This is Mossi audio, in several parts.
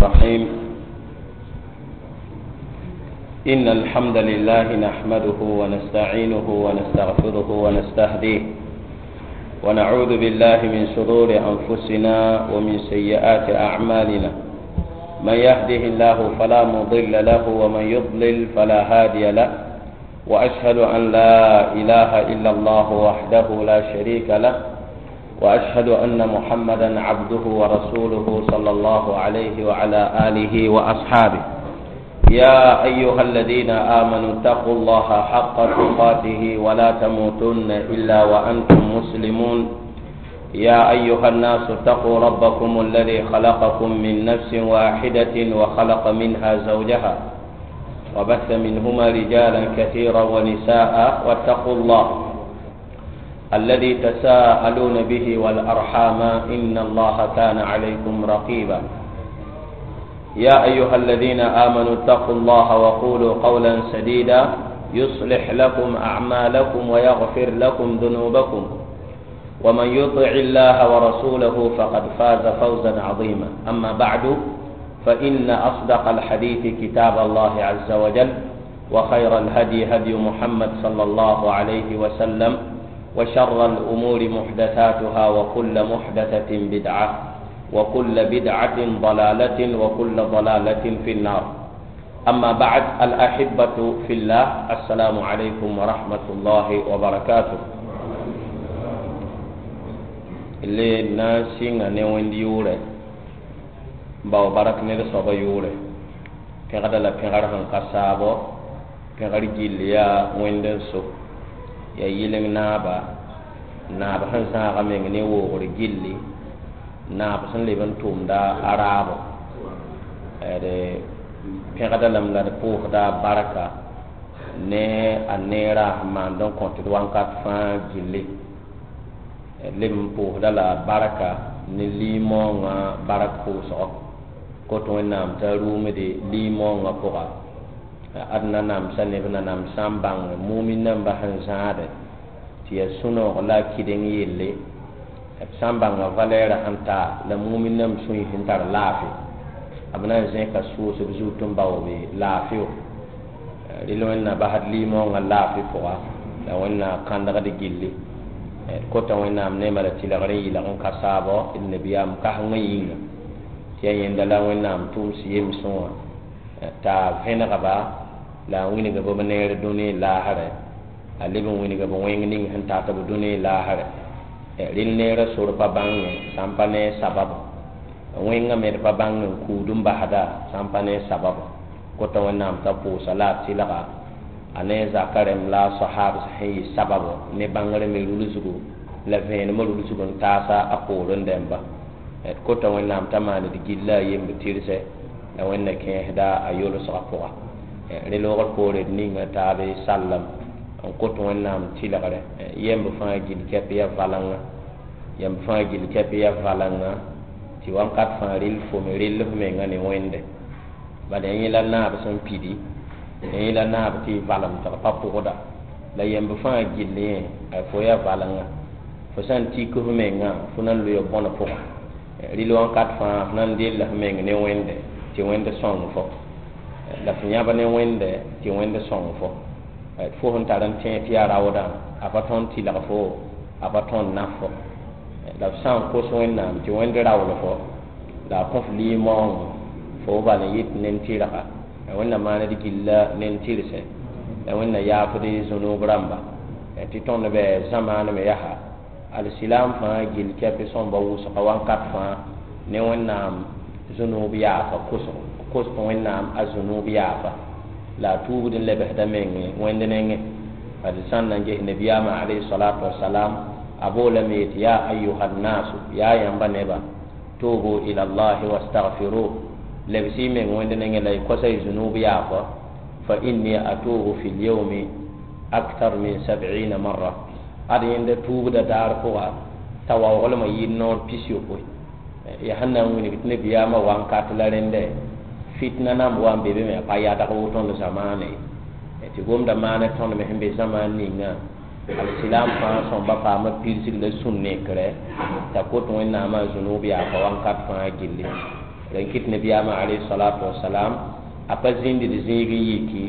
الرحيم. إن الحمد لله نحمده ونستعينه ونستغفره ونستهديه، ونعوذ بالله من شرور أنفسنا ومن سيئات أعمالنا. من يهده الله فلا مضل له ومن يضلل فلا هادي له، وأشهد أن لا إله إلا الله وحده لا شريك له، وأشهد أن محمدا عبده ورسوله صلى الله عليه وعلى آله وأصحابه. يا أيها الذين آمنوا اتقوا الله حق تقاته ولا تموتن إلا وأنتم مسلمون. يا أيها الناس اتقوا ربكم الذي خلقكم من نفس واحدة وخلق منها زوجها وبث منهما رجالا كثيرا ونساء، واتقوا الله الذي تساءلون به والأرحام إن الله كان عليكم رقيبا. يا أيها الذين آمنوا اتقوا الله وقولوا قولا سديدا يصلح لكم أعمالكم ويغفر لكم ذنوبكم، ومن يطع الله ورسوله فقد فاز فوزا عظيما. أما بعد، فإن أصدق الحديث كتاب الله عز وجل، وخير الهدي هدي محمد صلى الله عليه وسلم، وشر الأمور محدثاتها، وكل محدثة بدعة، وكل بدعة ضلالة، وكل ضلالة في النار. أما بعد، الأحبة في الله، السلام عليكم ورحمة الله وبركاته. اللي ناسين نوين ديورة باو بارك نير صبا يورة pẽgda la pẽgr sẽn ka saabo, pẽgr gill yaa wẽnd n so yaa yɩleng naaba, naab sẽn zãaga meng ne woogr gilli, naab sẽn leb n tʋʋmda a raabo. D pẽgda lame la d pʋʋsda barka ne a neerã sẽn maand n kõt d wãnkat fãa gilli. D leb n pʋʋsda la barka ne lim-maoongã bark pʋʋsgo kot Wẽnnaam t'a rʋʋmde lim-maoongã pʋga. Ad nanamsã neb nanam sã n bãng mumin nambã sẽn zãade tɩ yaa sũ-noog la a kɩdeng yelle, b sã n bãnga valɛɛrã sẽn ta la mumin namb sũy sẽn tar laafɩ, b na n zẽka sʋʋsb zut n baoobe laafɩ. Rɩl Wẽnna basd lim-maoongã laafɩ pʋga la Wẽnna kãndgd gilli. D kota Wẽnnaam neemã la tɩlgr n yɩlg n ka saabɔ d nabiyaam kãsengã yĩnga, tɩ yaa yẽnda la Wẽnnaam tʋʋms yemsẽ wã t'a vẽnegba la a wilg b neer dũni laasrɛ, a leb n wilg b wẽng ning sẽn tat b dũni laasrɛ. Rɩl neerã sor pa bãnge sã n pa ne sababo, wẽngã me d pa bãng n kuud n basda sã n pa ne sababo. Kota Wẽnnaam t'a pʋʋsa la a tɩlga a ne zaka rẽmb la a sahaab sẽn yɩ sababo ne bãngr me rulsgo la vẽenemã rulsg n taasa a poorẽ dẽmba. D kota Wẽnnaam t'a maan d gilla a yemb tɩrsɛ la Wẽnna kẽesda a yolsgã pʋga. Rẽ loogr poore d ninga taabe sallam n kot Wẽnnaam tɩlgrɛ yemb fãa gill kɛp ya valengã, yãmb fãa gill kɛp ya valengã, tɩ wãnkat fãa rɩl fo me rell f menga ne Wẽnde. Bala yẽ la naab sẽn pidi, yẽ la naab tɩ y valem tɩg pa pʋgda, la yemb fãa gill yẽ fo ya valengã. Fo sã n tik f mengã, fo na n loe bõn pʋga. Rɩl wãnkat fãa f na n della f meng ne Wẽnde tɩ Wẽnd sõng fo, la f yãb ne Wẽnde tɩ Wẽnd sõng fo. Fo sẽn tar n tẽeg tɩ yaa raoodã, a pa tõnd tɩlg fo, a pa tõnd naf fo. La f sã n kos Wẽnnaam tɩ Wẽnd raool fo la a kõ f lim-maoongo, fo bal n yɩt nen-tɩrga, la Wẽnna maand gilla nen-tɩrsẽ, la Wẽnna yaafd zũnub rãmba. Tɩ tõnd bɩ zãmaan me yaa alsilaam fãa gill kɛpɩ sõmba wʋsga wãnkat fãa ne Wẽnnaam zũnub yaafa kosgo, kos tɩ Wẽnnaam a zũnub yaafa la a tuubd n lebsda menge Wẽnd nengẽ. Bad sã n na n ges nabiyaamã alayhi salatu wasalam, a boolame yetɩ: ya ayuha nnasu, yaa yãmba neba, tubu ila llahi wastagfiruh, lebs-y meng Wẽnd nengẽ la y kosa y zũnub yaafa, fa inni atubu fi lyaumi aktar min sab'ina marra. Ad yẽnda tuubda daar pʋga t'a waooglmã yɩɩd noor 60. Yaa sẽn na n wilg tɩ nabiyaamã wãnkat la rẽndɛ fitna namb wa n be be me a pa yadg woto tõnd zamaane ye, tɩ gomda maana tõnd me sẽn be zamaan ninga alsilaam fãa sõmba paama pirsg la sũ-nekrɛ t'a kot Wẽnnaamã zũnub yaafa wãnkat fãa gilli. Rẽn kɩt nabiyaamã alayhi salatu wasalam a pa zĩnd d zĩig n yiki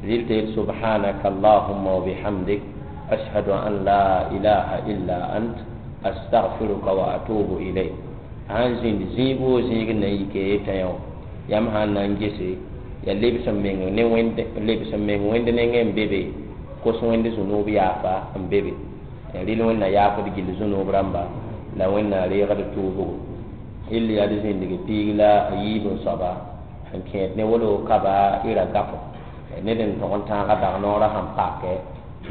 rɩl t'a yet subhanaka allahumma wa bihamdik ashhadu an la ilaha illa ant astaghfiruka wa atubu ilayk. A sãn zĩnd zĩig woo zĩig n na n yike yetã yã wã yãmb sã n na n gese ya lebs n meng ne wẽnd lebs n meng wẽnd nengẽ n be be kos wẽnd zũnuub yaafa n be be rɩl wẽnna yaafd gill zũnuub rãmba la wẽnna reegd tuubgo rɩl yaa d zĩndg piig la a yiib n soaba sẽn kẽed ne wolo kaba y ra gafo ned n tog n tãaga dag noorã sẽn pake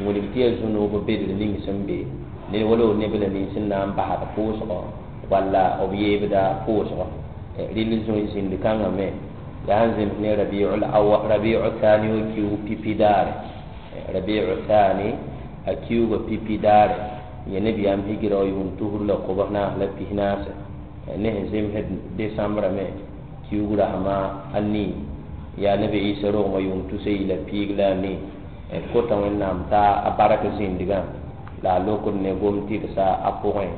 wilg tɩ yaa zũnuub bedr ning sẽn be ned wala nebla nins sẽn na n basd pʋʋsgɔ walla b yeebda pʋʋsgɔ rɩl zĩnd kãngã me yaa sẽn zems ne rabiu thani wa kiu pipi daare rabiu thani a kiuga pipi daare yẽ nebiyaam higira wa yʋʋm tusr la kobs naas la pis naase ne sẽn zemsd decembre me kiug rasma a nii yaa nabi isa rogmã yʋʋm tusa yi la piig la a nii d kota wẽnnaam t'a a bark zĩndgã la a lokd ne gom tɩrsa a pʋgẽ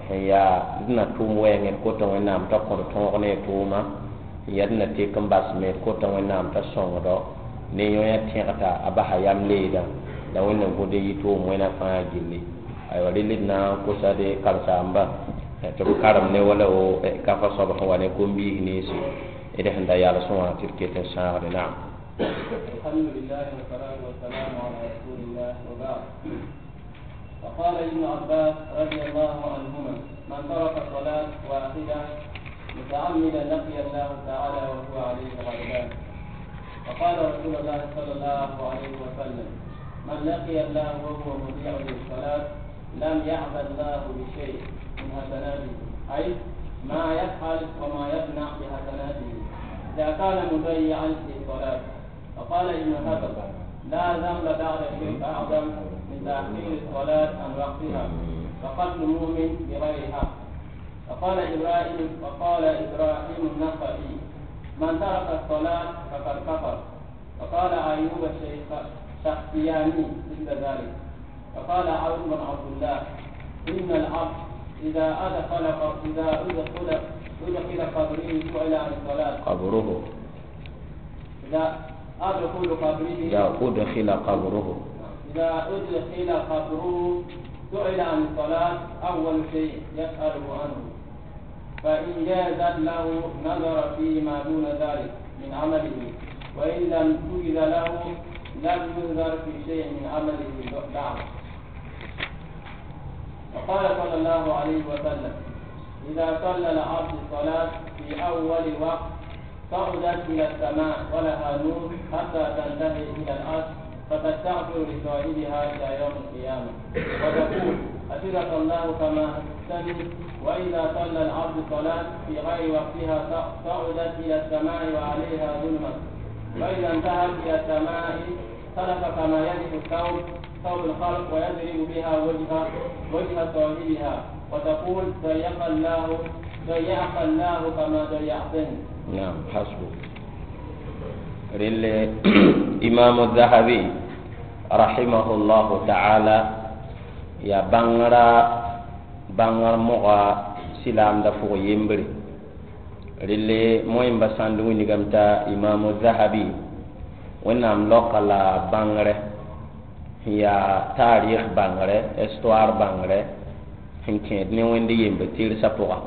sẽn yaa d na tʋʋm wɛɛngẽ d kota wẽnnaam t'a kõd tõog ne tʋʋma n yaa d na tek n bas me d kota wẽnnaam t'a sõngdo ne yõ-yã tẽgta a basa yam leedã la wẽnna gũd n yɩ tʋʋm wẽna fãa gilli aywa rel d na n kosa de karen-saamba tɩ b karem ne wala wo kafa soab sẽn wa ne kom-biis ninsi d sẽn da yals wã tɩ d ket n sãagde naam. الحمد لله والصلاة والسلام على رسول الله وبعد. فقال ابن عباس رضي الله عنهما: من ترك صلاة واحدة متعمدا لقي الله تعالى وهو عليه غضبان. وقال رسول الله صلى الله عليه وسلم: من لقي الله وهو مضيع للصلاة لم يعبأ الله بشيء من حسناته، أي ما يفعل وما يصنع بحسناته إذا كان مضيعا للصلاة. وقال ابن حزم: لا ذنب بعد الشرك أعظم من تأخير الصلاة عن وقتها وقتل مؤمن بغير حق. وقال إبراهيم النخعي: من ترك الصلاة فقد كفر. وقال أيوب الشخصياني مثل ذلك. وقال عون بن عبد الله: إن العبد إذا أدخل إذا أدخل أدخل قبره سئل عن الصلاة. قبره. إذا أدخل قبره. إذا أدخل قبره. إذا أدخل قبره سئل عن الصلاة أول شيء يسأله عنه، فإن جازت له نظر فيما دون ذلك من عمله، وإن لم تجز له لم ينظر في شيء من عمله بعد. وقال صلى الله عليه وسلم: إذا صلى العبد الصلاة في أول وقت صعدت إلى السماء ولها نور حتى تنتهي إلى الأرض فتستغفر لصاحبها إلى يوم القيامة وتقول: حفظك الله كما حفظتني. وإذا صلى العبد الصلاة في غير وقتها صعدت إلى السماء وعليها ظلمة، فإذا انتهت إلى السماء سلك كما يلف الثوب ثوب الخلق ويضرب بها وجه صاحبها وتقول: ضيق الله كما ضيعتني. نعم حسبك. رل إمام الذهبي رحمه الله تعالى يا بانغرا بانغر مغا سلام دفوغ يمبري رل موين بساندو نيغمتا إمام الذهبي ونام لوكالا بانغره يا تاريخ بانغره استوار بانغره sẽn kẽed ne wẽnd yembe tɩrsa pʋga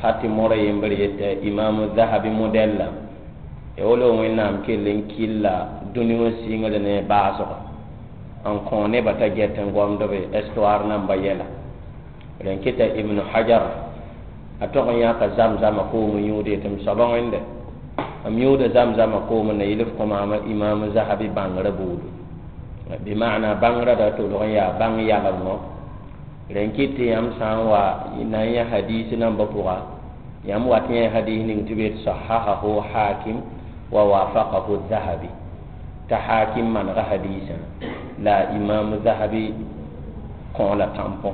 hati mora yembr yetɩ imamu zahabi modɛlla ya wolo wẽnnaam kell n killa dũni wã sɩngr ne baasgo n kõ nebã t'a get n gomdbe histoire namba yɛla rẽn kɩta ibnu hajar a tog n yãka zam-zama koom n yũud yetɩ m soaba wẽnde m yũuda zam-zama koom n na yɩl f kõ maama imamu zahabi bãngrã buudu bɩ maana bãngrã da tolg n yaa bãng yalemgo rẽn kɩt tɩ yãmb sã n wa na n yã hadiis nambã pʋga yãmb wat yẽ hadiis ning tɩ b yet sahahahu hakim wa wafaqahu zahabi t'a hakim manega hadiisã la imamu zahabi kõ la tampõ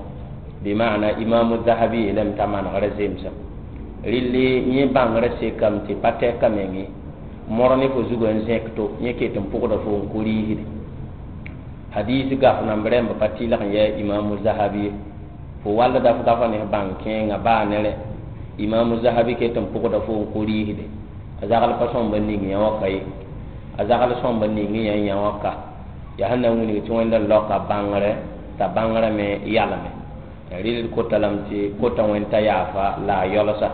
bɩ maana imamu zahabi yeelame t'a manegrã zemsem rɩlli yẽ bãngrã sekame tɩ pa tɛka menge mor ne fo zugã n zẽk to yẽ ket n pʋgda fo n kʋ riisde hadis gaf namb rẽmb pa tɩlg n yɛ imamu zahabi ye fo walda f gafa ne bãng kẽengã baa ne rẽ Imamu Zahabi ket n pʋgda fo n kʋ rɩɩsde a zagl pa sõmb n ning yã wã ka ye, a zagl sõmb n ning yã yã wã ka yaa sẽn na n wilg tɩ Wẽnda laoka bãngrɛ t'a bãngrã me yalme. Rɩl kota lame tɩ kota Wẽnd t'a yaafa la a yalsa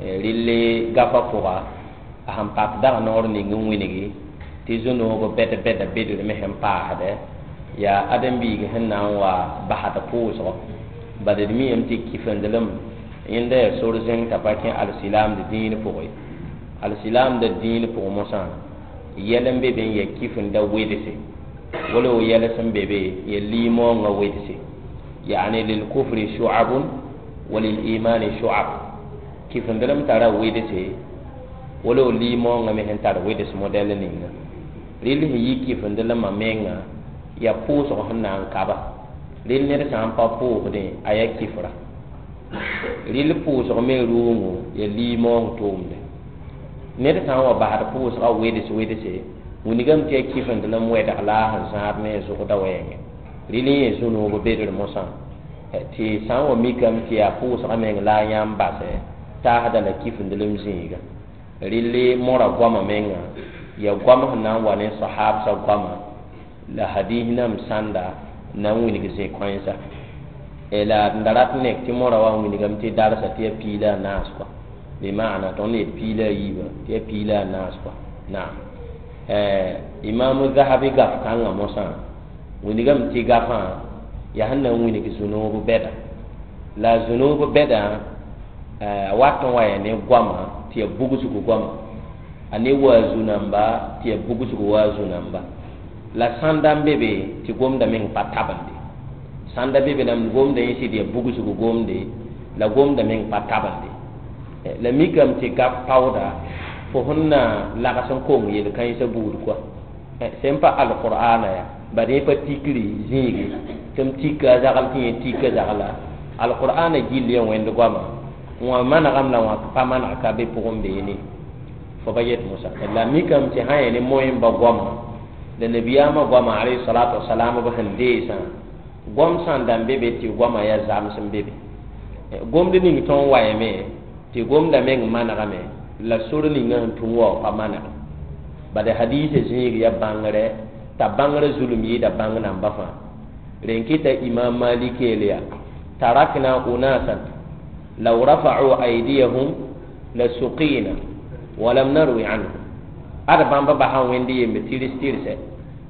rɩl gafa pʋga a sẽn pak dag noor ning n wilgi tɩ zu-noog bɛd bɛda bedr me sẽn paasdɛ yaa ãdem-biig sẽn na n wa basd pʋʋsgɔ. Bad d miime tɩ kifendelem yẽnda yaa sor zẽng t'a pa kẽ alsilaamd dĩin pʋgẽ. Alsilaamda dĩin pʋgẽ mosã yɛl n be be n ya kifenda wedse, wala wo yɛl sẽn be be ya liimoongã wedse, yaani lilkufri shu'abun wa lilimani shu'ab. Kifendelem tara wedse, wala wo liimoongã me sẽn tar weds modɛl ninga. Rɩl sẽn yi kifendelemã menga yaa pʋʋsg sẽn na n kaba. Rɩl ned sã n pa pʋʋsdẽ a yaa kifra. Rɩl pʋʋsg me rʋʋngo yaa liimoong tʋʋmde. Ned sã n wa basd pʋʋsgã weds wedse, wilgame tɩ yaa kifendelem wɛdg la a sẽn zãad ne a zʋgda wɛɛngẽ. Rɩl n yẽ zu-noog bedr mosã tɩ sã n wa mikame tɩ yaa pʋʋsgã meng la a yãmb basɛ taasda la kifendelem zĩiga. Rɩl mora goamã menga yaa goam sẽn na n wa ne sahabsã goamã la hadis nam sãnda na n wilg zĩ-kãensa. La d da rat n nek tɩ mora wa n wilgame tɩ darsa tɩ yaa piig la a naas kɔa, bɩ maana tõnd yet piig la a yiibã tɩ yaa piig la a naas kɔa. Naam, Imam Zahabi gaf kãngã mosã wilgame tɩ gafã yaa sẽn na n wilg zu-noog bɛda. La zu-noog bɛdã a wat n wa yaa ne goamã tɩ yaa bugsg goama, a ne waa zu-namba tɩ yaa bugsg waa zu-namba. La sãnda n be be tɩ gomda meng pa tabende. Sãnda be be lame gomda yẽ sɩd yaa bugsg gomde, la gomda meng pa tabende. La mikame tɩ gaf paooda fo sẽn na lags n kong yel-kãensã buud kɔa sẽn pa alqur'ana ya bad yẽ pa tikri zĩige tɩ m tika a zagl tɩ yẽ tika zagla alqur'ana gill ya Wẽnd goama wã manegame la wã pa maneg ka be pʋgẽ beene fo pa yet mosã. La mikame tɩ sã yẽ ne moẽmba goama la nabiyaamã goama alayhi salatu wasalam b sẽn deesã goam sãn da n be be tɩ goamã yaa zams n be be. Gomd ning tõnd wa yame tɩ gomda meng manegame la sor ninga sẽn tũ wa pa maneg. Bad hadisa zĩig yaa bãngrɛ t'a bãngrã zulum yɩɩda bãng namba fãa. Rẽn kɩta Imam Malik yeel yaa tarakna unasan law rafa'u aydiyahum la suqina walam narwi anhu. Ad bãmba basã Wẽnd yembe tɩrs tɩrsɛ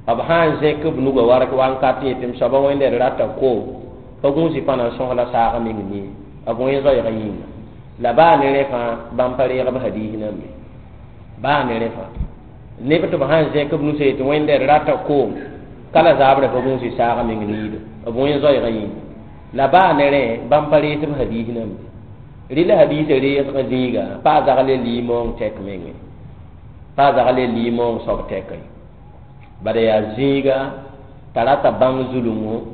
b sã n zẽk b nugã wark wankat yetɩ m soaba Wẽnda d rata koom pa gũusi pa na n sõs la saag meng nie b wẽ zoeegã yĩnga. La baa ne rẽ fãa bãmb pa reeg b hadiis nãmbe, baa ne rẽ fãa neb tɩ b sã n zẽk b nusã yetɩ Wẽnda d rata koom ka la zaabrã pa gũusi saag meng niida b wẽ zoeegã yĩnga. La baa ne rẽ bãmb pa rees b hadiis nãmbe. Rɩla hadiisã reesgã zĩiga pa a zagl liimoong tɛk mengẽ, pa a zagl liimoong soab tɛkẽ. Bala yaa zĩiga t'a rata bãng zulungo,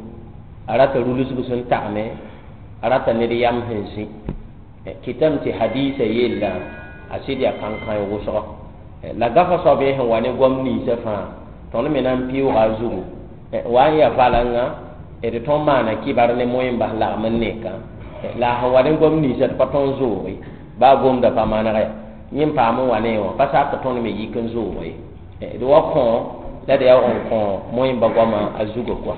a rata rulsg sẽn tagme, a rata ned yam sẽn zĩ. Kɩtame tɩ hadiisã yella a sɩd yaa kãn-kãe wʋsgo. La gafa soab yẽ sẽn wa ne goam ninsã fãa tõnd me na n pɩʋʋga a zugu wa n yaa valengã d tõnd maana kɩbar ne moẽmbas lagm n nekã. La a sẽn wa ne goam ninsã d pa tõnd zooge baa gomda pa manega ya yẽ n paam n wa ne wã pa sak tõnd me yik n zooge d wa kõ la d yaa n kõ moẽmba goamã a zugã kɔa.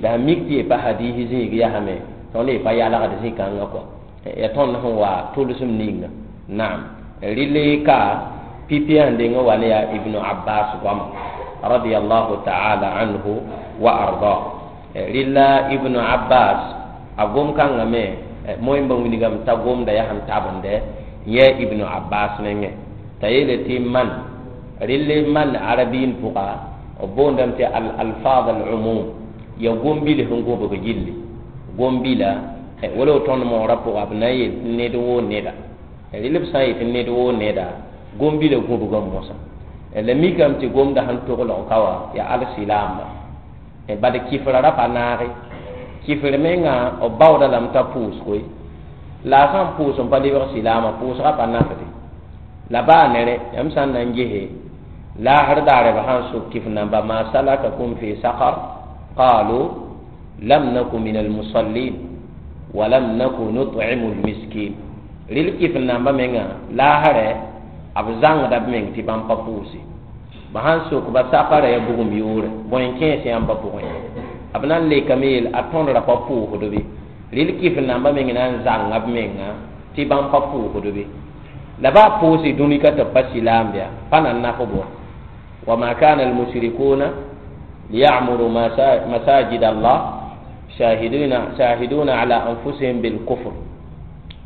La sẽn mik tɩ ye pa hadiis zĩig yasame tõnd ye pa yalgd zĩ-kãngã kɔa ya tõnd sẽn wa tʋlsem ninga. Naam, rɩl ka pipi sẽn deng n wa ne yaa Ibnu Abbas goama radiyallahu ta'ala anhu wa arda. Rɩla Ibnu Abbas a gom kãngã me moẽmba wilgame t'a gomda yaa sẽn tabendɛ yɛ Ibnu Abbas nengẽ t'a yeele tɩ man rɩl man arabiin pʋga b boondame tɩ al alfaz al umum ya gom-bil sẽn gobg gilli gom-bila wala w tõnd moorã pʋga b na n yet ned woo neda. Rɩl b sã n yetɩ ned woo neda gom-bilã gũbgame mosã. La mikame tɩ gomda sẽn toglg ka wã yaa alsilaamba. Bad kifra ra pa naage kifr menga b baooda lame t'a pʋʋsgoe la a sã n pʋʋs n pa lebg silaamã pʋʋsgã pa nafde. La baa ne rẽ yãmb sã n na n gese laasr daare b sã n sok kif namba ma salakakum fi saqar qalu lam naku min almusallin wa lam naku nut'imu almiskin. Rɩl kɩf n namba menga laasrɛ b zãngda b meng tɩ bãmb pa pʋʋse. Ba sãn sok ba sakara ya bugum yʋʋre bõe n kẽes yãmba pʋgẽ, b na n lekame yeel a tõdra pa pʋʋsd be. Rɩl kɩf n namba meng na n zãnga b menga tɩ bãmb pa pʋʋsd be. La baa pʋʋse dũni ka tɩ b pa silaam bɩa pa na n naf bɔ. Wama kana almushrikuna liyamuru masajid Allah shahiduna ala anfusihim bilkufr.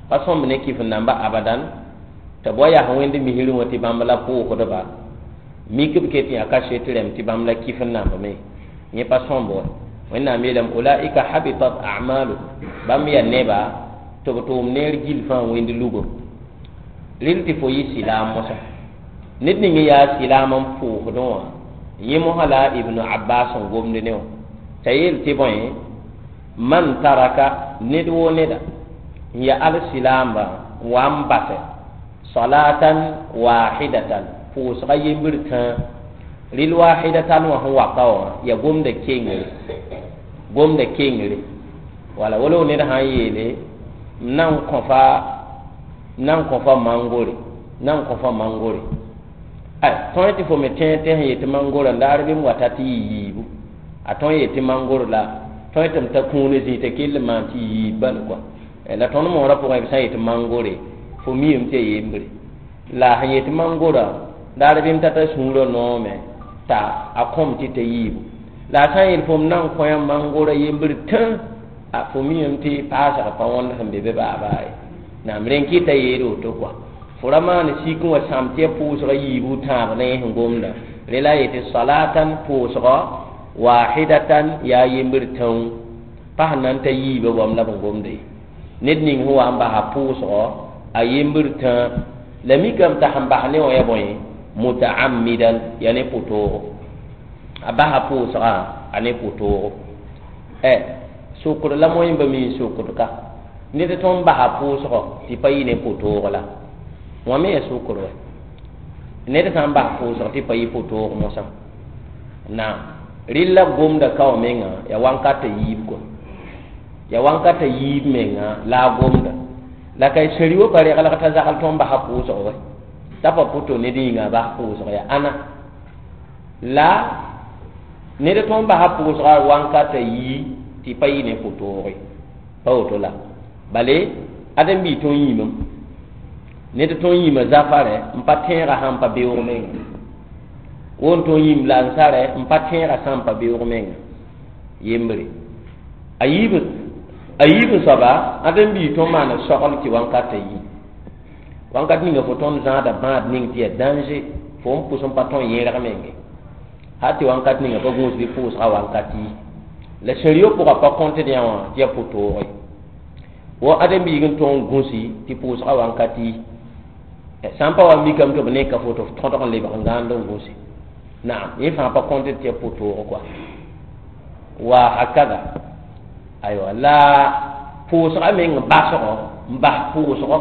Pa sõmb ne kɩf n namba abadan tɩ b wa yaa wẽnd misrẽ wã tɩ bãmb la pʋʋsdba mik b ket yã kaset rẽmb tɩ bãmb la kɩf n nambame, yẽ pa sõmb wa. Wẽnnaam yeelame ulaika habitat amaluhum, bãmb yaa neba tɩ b tʋʋm neer gill fãa wẽnd lugo. Rɩl tɩ fo yɩ silaam mosã, ned ning n yaa silaam n pʋʋsdẽ wã, yẽ mosã la Ibnu Abbas n gomd ne wã t'a yeel tɩ bõe man taraka ned woo neda n ya al silaamba n wa n basɛ salatan wahidatan pʋʋsga yembr tãa. Rɩl wahidatan wã sẽn waka wã ya gomda kengere, gomda kengere wala wala ned sã n yeele m na n kõ fa mangore, na n kõ fa mangore. Ay tõe tɩ fo me tẽeg tɩ sẽn yetɩ mangora n daar bɩ m wata tɩ yɩ yiibu, a tõe n yetɩ mangor la tõe tɩ m ta kũune zĩig t'a kell n maan tɩ yɩ yiib bal kɔa. La tõnd moorã pʋgẽ b sã n yetɩ mangore fo miime tɩ ya yembre, la sẽn yetɩ mangora daar bɩ m tata sũurã noome t'a a kõm tɩ ta yiibu. La a sã n yeel fo m na n kõ yã mangora yembr tã, a fo miime tɩ paasg pa wõnd sẽn be be baa-baa ye. Naam rẽn kɩta yeele woto kɔa. Fo ra maan sik n wa sãam tɩ ya pʋʋsga yiibu tãab ne sẽn gomda. Rẽ la a yetɩ salatan pʋʋsgɔ wahidatan yaa yembr tãoo, pa sẽn na n ta yiibã goam la b n gomda ye. Ned ning sẽn wa n basa pʋʋsgɔ a yembr tãa, la mikame t'a sẽn bas ne wã ya bõe mutaammidan, yaa ne pʋtoogo. A basa pʋʋsgã a ne pʋtoogo. Sokr la moẽmba mi n sokd ka ned tõnd basa pʋʋsgɔ tɩ pa yɩ ne pʋtoogo la wã me ya sokr wɛ. Ned sã n bas pʋʋsg tɩ pa yɩ pʋtoogo mosã, naam rɩl la gomda ka wã menga ya wãnkata yiib kɔa, ya wãnkata yiib menga la a gomda. La ka sẽri wa pa reglg t'a zagl tõnd basa pʋʋsg wɛ, t'a pa pʋto ned yĩnga a bas pʋʋsg ya ãna. La ned tõnd basa pʋʋsga wãnkata yii tɩ pa yɩ ne pʋtooge, pa woto la. Bale ãdem-biig tõnd yĩmem, ned tõnd yĩma zafarɛ n pa tẽegã sãn pa beoog menga, wo n tõnd yĩm lansarɛ n pa tẽegã sãn pa beoog menga yembre. A yiib n soaba ãdem-biig tõnd maana sogl tɩ wãnkata yii. Wãnkat ninga fo tõnd zãada bãad ning tɩ yaa danger, fo n pʋs n pa tõnd yẽrg menge hal tɩ wãnkat ninga pa gũus bɩ pʋʋsga wãnkat yi. La sẽn-rio pʋgã pa kõtd yã wã tɩ yaa pʋtooge. Wo ãdem-biig n tõog n gũsi tɩ pʋʋsga wãnkat yi. Sã n pa wa mikame tɩ b neka fo tɩ f tõdg n lebg n gãand n gũsi. Naam, yẽ fãa pa kõtd tɩ yaa pʋtoogo kɔa. Wa hakada. Aywa, la pʋʋsga meng basgo, n bas pʋʋsgɔ.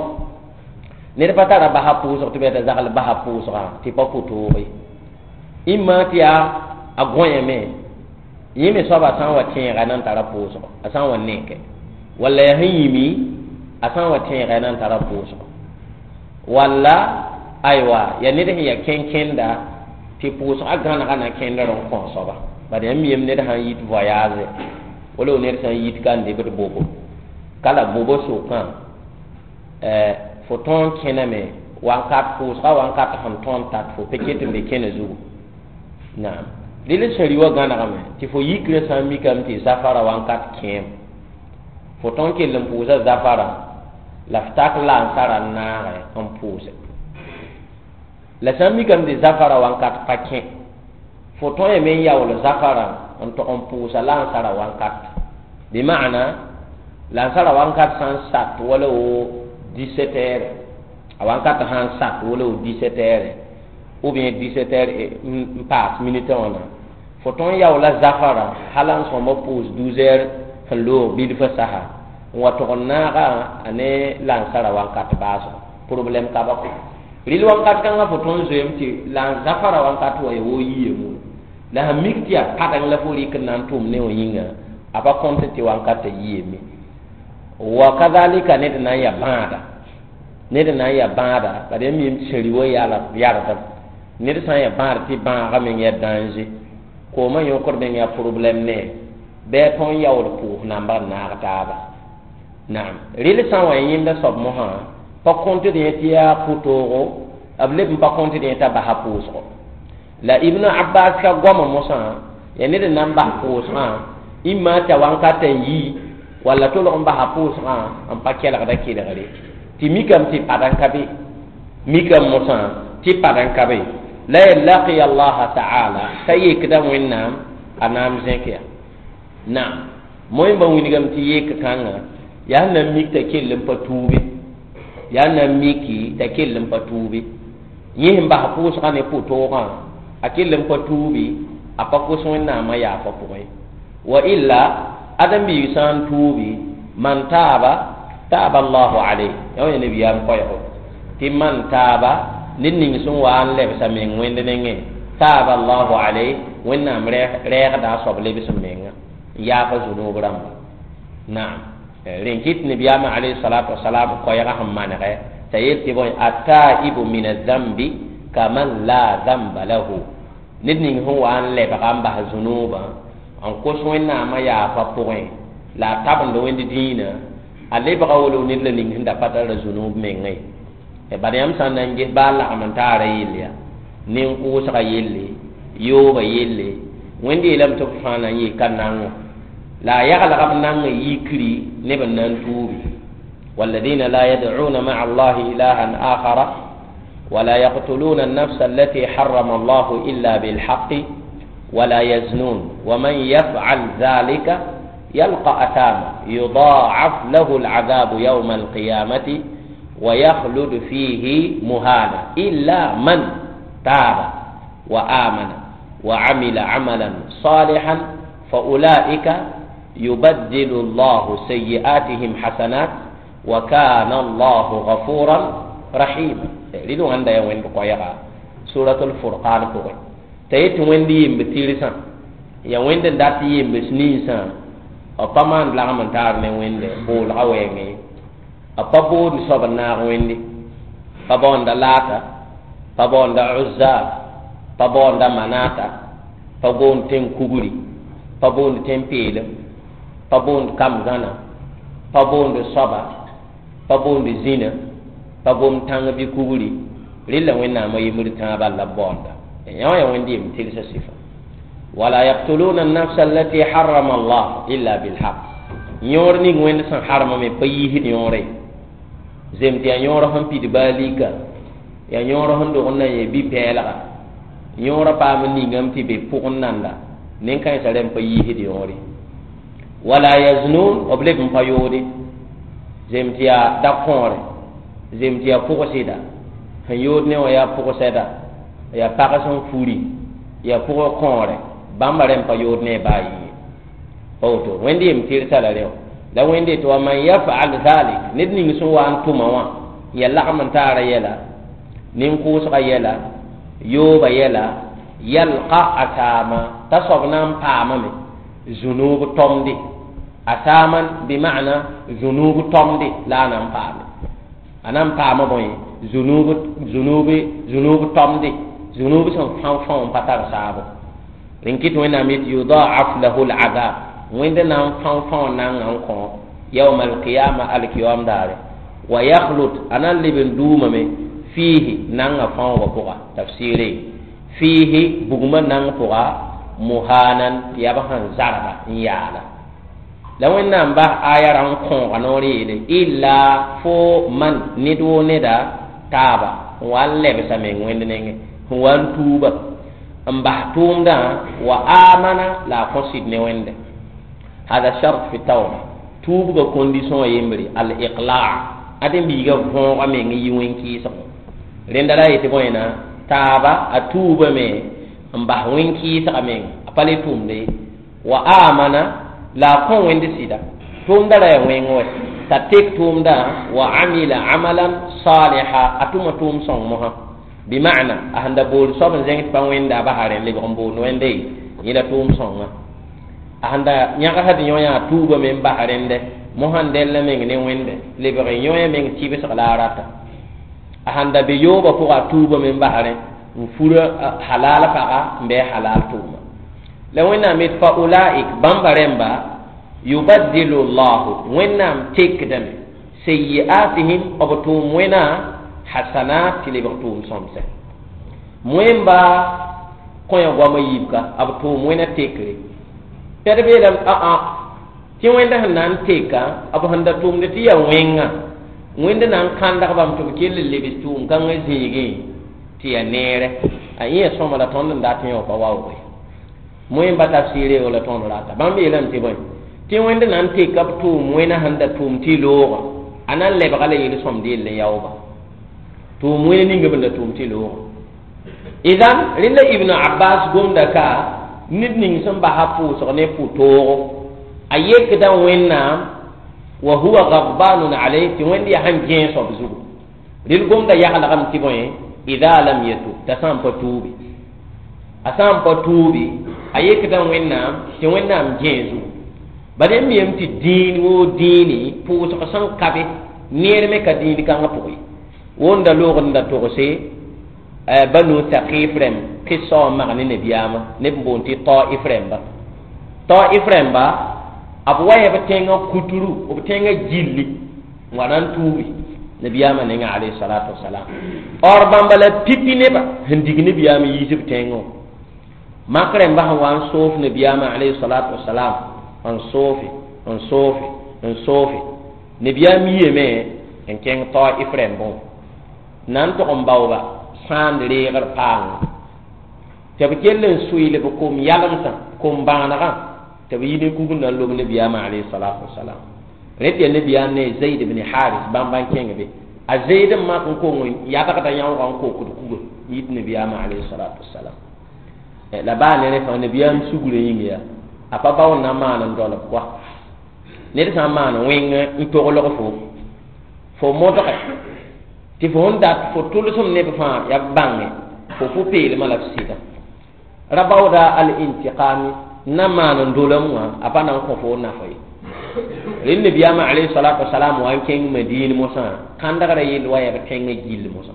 Ned pa tara basa pʋʋsg tɩ b yaa t'a zagl basa pʋʋsgã tɩ pa pʋtooge. Ĩmma tɩ yaa a gõyame, yẽ me soaba sã n wa tẽega na n tara pʋʋsgɔ, a sã n wa neke. Walla yaa sẽn yĩmi, a sã n wa tẽega na n tara pʋʋsgɔ. Walla aywa, yaa ned sẽn yaa kẽn-kẽnda tɩ pʋʋsgã gãnega na kẽndr n kõ soaba. Bad yãmb yem ned sã n yit voyage, wala ned sã n yit ka n debd bobo, ka la bobo sokã, fo tõog n kẽname wãnkat pʋʋsgã wãnkat sẽn tõog n tat fo pe ket n be kẽna zugu. Naam, rɩl sẽn wã gãnegame tɩ fo yikrã sã n mikame tɩ zafara wãnkat kẽem, fo tõog n kell n pʋʋsa zafara la f tak lansara n naage n pʋʋse. La sã n mikame tɩ zafara wãnkat pa kẽ, fo tõe yame n yaool zafara n tog n pʋʋsa lansara wãnkat. Bɩ maana lansara wãnkat sã n sat wala wo 17 heures, a wãnkat sã n sat wala wo 17 heures ou bien 17 heures n paas minute wãna, fo tõe n yaoola zafara hal n sõma pʋʋs 12 heures sẽn loog bilfã sasa n wa tog n naaga a ne lansara wãnkat baasgo. Problɛm ka ba kɔ. Rɩl wãnkat kãngã fo tõe n zoeem tɩ lan zafara wãnkat wa ya woo yiye mur. La sẽn mik tɩ yaa padeng la fo rɩk n na n tʋʋm ne wã yĩnga, a pa kõnt tɩ wãnkatã yiyame. Wa kadhalika ned na n yaa bãada. Ned n na n yaa bãada bad yãmb mim tɩ sẽn wa yardb ned sã n yaa bãad tɩ bãagã meng yaa danger koomã yõkd meng yaa problɛm ne bɩ a tõe n yaool pʋʋs nambg n naag taaba naam rɩl sã n wa yẽnda soab mosã pa kõtd yẽ tɩ yaa pʋ-toogo b leb n pa kõtd yẽ t'a basa pʋʋsgo la Ibn Abbas ka goama mosã yaa ned n na n bas pʋʋsgã imma t'a wãnkata n yi walla tolg n basa pʋʋsgã n pa kelgda kelgre tɩ mikame tɩ pad n ka be mikame mosã tɩ pad n ka be la ya laqiya allaha taala t'a yekda Wẽnnaam a naam zẽk ya naam moẽmba wilgame tɩ yek kãngã yaa sẽn na n mik t'a kell n pa tuube yaa n na n miki t'a kell n pa tuube yẽ sẽn bas pʋʋsgã ne pʋ-toogã a kell n pa tuubi a pa kos Wẽnnaamã yaafa pʋgẽ wa illa ãdem-biig sã n tuubi man taaba taaba allahu alayh yã wã nabiyaam koɛɛgo tɩ man taaba ned ning sẽn wa n lebsa meng wẽnd nengẽ taaba allahu alayh Wẽnnaam rɛɛgda a soab lebs n menga n yaafa zunub rãmba naam rẽn kɩt nabiyaamã alayhi salatu wasalam koɛɛgã sẽn manegɛ t'a yel tɩ bõe ataibu min azambi kaman la zamba lahu ned ning sẽn wa n lebga n bas zunubã n kos Wẽnnaamã yaafa pʋgẽ la a tabend wẽnd dĩinã a lebga wolo ned la ning sẽn da pa tara zunub mengã ye bad yãmb sã n na n ges baa lagm n taara yell ya nin-kʋʋsga yelle yooba yelle Wẽnd yeelame tɩ b fãa na n yee ka nango la a yaglga b nang n yikri neb n na n tuubi والذين لا يدعون مع الله إلها آخر ولا يقتلون النفس التي حرم الله إلا بالحق ولا يزنون ومن يفعل ذلك يلقى أثاما يضاعف له العذاب يوم القيامة ويخلد فيه مهانا إلا من تاب وآمن وعمل عملا صالحا فأولئك يبدل الله سيئاتهم حسنات وكان الله غفورا رحيما لدو عند يوين بقويغا سورة الفرقان بقوي t'a yet wẽnd yemb tɩrsã ya wẽnd n dat yembs ninsã b pa maan lagm n taar ne wẽnde boolga wɛɛngẽ b pa boond soab n naag wẽnde pa baoonda Laata pa baoonda Uzza pa baoonda Manata pa boond tẽn kugri pa boond tẽn peelem pa boond kam gãna pa boond soaba pa boond zĩna pa boond tãng bɩ kugri rɩla Wẽnnaamã yembd tãabã la b baoonda yã wã yaa wẽnd yemb tɩrsa sɩfa wala yaqtuluna an-nafsa allati harrama Allah illa bilhaq yõor ning wẽnd sẽn harmame pa yiisd yõore zem tɩ yaa yõor sẽn pid baa lika yaa yõor sẽn dog n na n yee bi-pɛɛlga yõorã paam n ningame tɩ be pʋgẽ nanda nen-kãensã rẽmb pa yiisd yõore wala yaznun b leb n pa yoode zem tɩ yaa da-kõore zem tɩ yaa pʋgsɩda sẽn yood ne wã yaa pʋgsɛda yaa pag sẽn furi yaa pʋgẽ kõore bãmba rẽmb pa yood ne baa yɩ pa woto wẽnd yem tɩrsa la rẽ la wẽnde tɩ wa man yafal dhalik ned ning sẽn wa n tʋma wã ya lagm n taara yɛla nin-kʋʋsga yɛla yooba yɛla yalqa asama t'a soab na n paamame zunub tomde asaman bima'na zunub tomde la a na n paame a na n paama bõe zunub zunub zunub tomde zunub sẽn fão fão n pa tar saabo rẽn kɩt Wẽnnaam yetɩ yudaaf lahu l-azab wẽnd na n fão fão nanga n kõ yawma alqiyama alkiyam daare wa yakhlud a na n leb n duumame fiihi nanga fãoogã pʋga tafsɩɩre fiihi bugmã nang pʋga muhanan tɩ yaa b sẽn zarba n yaala la Wẽnnaam bas aya rã n kõoga noor yeele illa fo man ned woo neda taaba n wa n lebsa meng wẽnd nengẽ sẽn wa n tuuba n bas tʋʋmdã wa amana la a kõ sɩd ne wẽnde hada shart fi tawba tuubga condition yembre al iqla ãdem-biigã võoga meng n yi wẽn-kɩɩsgo rẽnda la a yetɩ bõena taaba a tuubame n bas wẽn-kɩɩsga meng a pa le tʋmde wa amana la a kõ wẽnd sɩda tʋʋmda ra yaa wẽng wɛ t'a tek tʋʋmdã wa amila amalan saliha a tʋma tʋʋm sõng mosã bima'na a sẽn da bool soab n zẽng tɩ pa wẽnda a basa rẽ lebg n boond wẽnde yẽla tʋʋm sõnga a sẽn da yãgsd yõ yaa tuubame n bas rẽndɛ mosã n dẽlla meng ne wẽnde lebg yõ meng tɩbsg la a rata. A sãn da be yoobã pʋga a tuubame n basrẽ n fura halal paga n bɩ halal tʋʋma la Wẽnnaam yet fa ulaik bãmba rẽmba yubaddilu llahu Wẽnnaam tekdame sayiatihim b tʋʋm wẽna hasanat tɩ lebg tʋʋm sõmsɛ wẽmba kõya goamã yiibka b tʋʋm wẽna tekre pɛd beelame aa tɩ wẽnda sẽn na n teka b sẽn da tʋʋmd tɩ yaa wẽnga wẽnd na n kãndg bãmb tɩ b kell n lebs tʋʋm kãngã zĩigẽ tɩ yaa neere a yẽ sõma la tõnd n dat yẽ wã pa waooge moẽmba tafsɩɩre la tõnd rata bãmb yeelame tɩ bõe tɩ wẽnd na n teka b tʋʋm wẽna sẽn da tʋʋm tɩ loogã a na n lebga la yel-sõmd yell n yaooba tʋʋm wẽna ninga b n da tʋʋm tɩ loogã idan rẽnda Ibn Abbas gomda ka ned ning sẽn basa pʋʋsg ne pʋ-toogo a yekda Wẽnnaam wa huwa gadbanun alayh tɩ Wẽnd yaa sẽn gẽes b zugu rel gomda yaglgame tɩ bõe ida lam yatub t'a sã n pa tuubi a sã n pa tuubi a yekda Wẽnnaam tɩ Wẽnnaam gẽe zugu bala yãmb yem tɩ dĩin woo dĩini pʋʋsg sẽn kabe neer me ka dĩin kãngã pʋgẽ ye wonda loogd n da togse Banu Thaqif rẽmb kɩsa wã mag ne nabiyaamã neb n boond tɩ Taif rẽmba Taif rẽmba b wa b tẽngã kutru b tẽngã gilli n wa na n tuubi nabiyaamã nengã alayhi salatu wasalam or bãmba la pipi neba sẽn dig nabiyaamã yiis b tẽngã wã mak rẽmba sẽn wa n soof nabiyaamã alayhi salatu wasalam n soofe n soofe n soofe nabiyaam yiyame n kẽng Taif rẽmbẽ wã na n tog n baooba sãand reegr paangã tɩ b kell n sʋɩl b kom yalemsã kom bãanegã tɩ b yi ne kugr na n lob nabiyaamã alayhi salatu wasalam rẽ tɩ yaa nabiyaam ne Zaid bn Haris bãmba n kẽng be a Zaid n mak n kong n yadgda yãoogã n kokd kuga n yit nabiyaamã alayhi salatu wasalam la baa ne rẽ fãa nabiyaam sugrã yĩng yaa a pa bao n na maan n dolb koa ned sã n maan wẽng n toglg fo fo modge tɩ fo sẽn dat fo tʋlsem neb fãa yaa b bãnge fo pʋ-peelmã la f sɩda ra baooda al-intiqami n na maan n dolem wã a pa na n kõ fo nafa ye rẽnd nabiyaamã alayhi salatu wasalam wa n kẽng Madiin mosã kãndgrã yell wa yaa b tẽngã gill mosã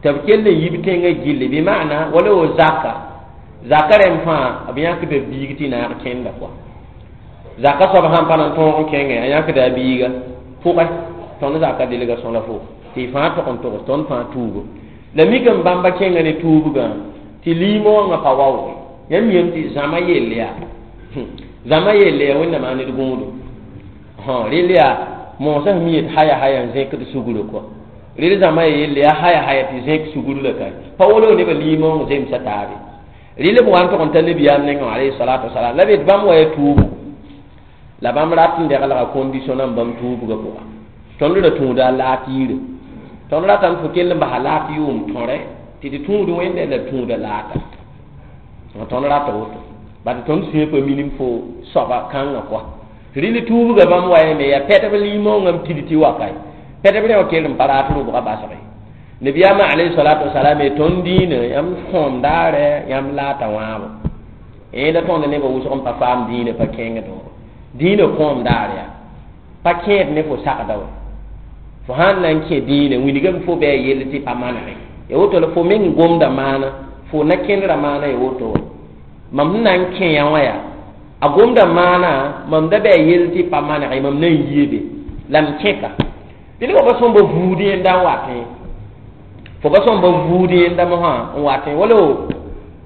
tɩ b kell n yi b tẽngã gilli bɩ maana wala wo zaka zaka rẽmb fãa b yãkda biig tɩ naag kẽnda koa zaka soab sãn pa na n tõog n kẽngẽ a yãkda a biiga pʋgẽ tõnd zaka delga sõla fo tɩ y fãa tog n togs tõnd fãa tuugo la mikame bãmba kẽnga ne tuubgã tɩ liimoongã pa waooge yãmb yem tɩ zãma yell yaa zãma yell yaa Wẽnnaam a ned gũudu rel yaa moosã sẽn mi yet haya haya n zẽkd sugr kɔa rel zãma yell yaa haya haya tɩ zẽk sugr la ka pa wolo nebã liimoong zemsa taabe rel b wa n tog n ta nabiyaam nengẽ alayhi salatu wasalam la b yet bãmb wa ya tuubu la bãmb rat n deglga condition n bãmb tuubgã pʋga tõnd ra tũuda a laat yire tõnd ratame fo kell n basa laat yʋʋm tõre tɩ tɩ tũud wẽnde la tũuda laata tõnd rata woto bat tõnd sũyã pa minim fo soaba kãngã koa rɩl tuubgã bãmb wa yame yaa pɛdb liimoongã n pid tɩ wa kae pɛdb rẽ wã kell n pa raat rʋbga basge nabiyaamã alayhi salatu wasalam ye tõnd dĩinã yãmb kõom daarɛ yãmb laata wãabo la tõnd nebã wʋsg n pa faam dĩinã pa kẽngd wã dĩinã kõom daar yaa pa kẽed ne fo sagda wa fo sãn na n kẽ dĩinã wilgame fo bɩ a yell tɩ pa manege ya woto la fo meng gomda maana fo na kẽndra maana ya woto wa mam sẽn na n kẽ yã wã yaa a gomda maana mam da bɩ a yell tɩ pa manege mam na n yie be la m kẽka tɩ fo pa sõmba vuud yẽnda n watẽ fo pa sõmba vuud yẽnda mosã n watẽ wala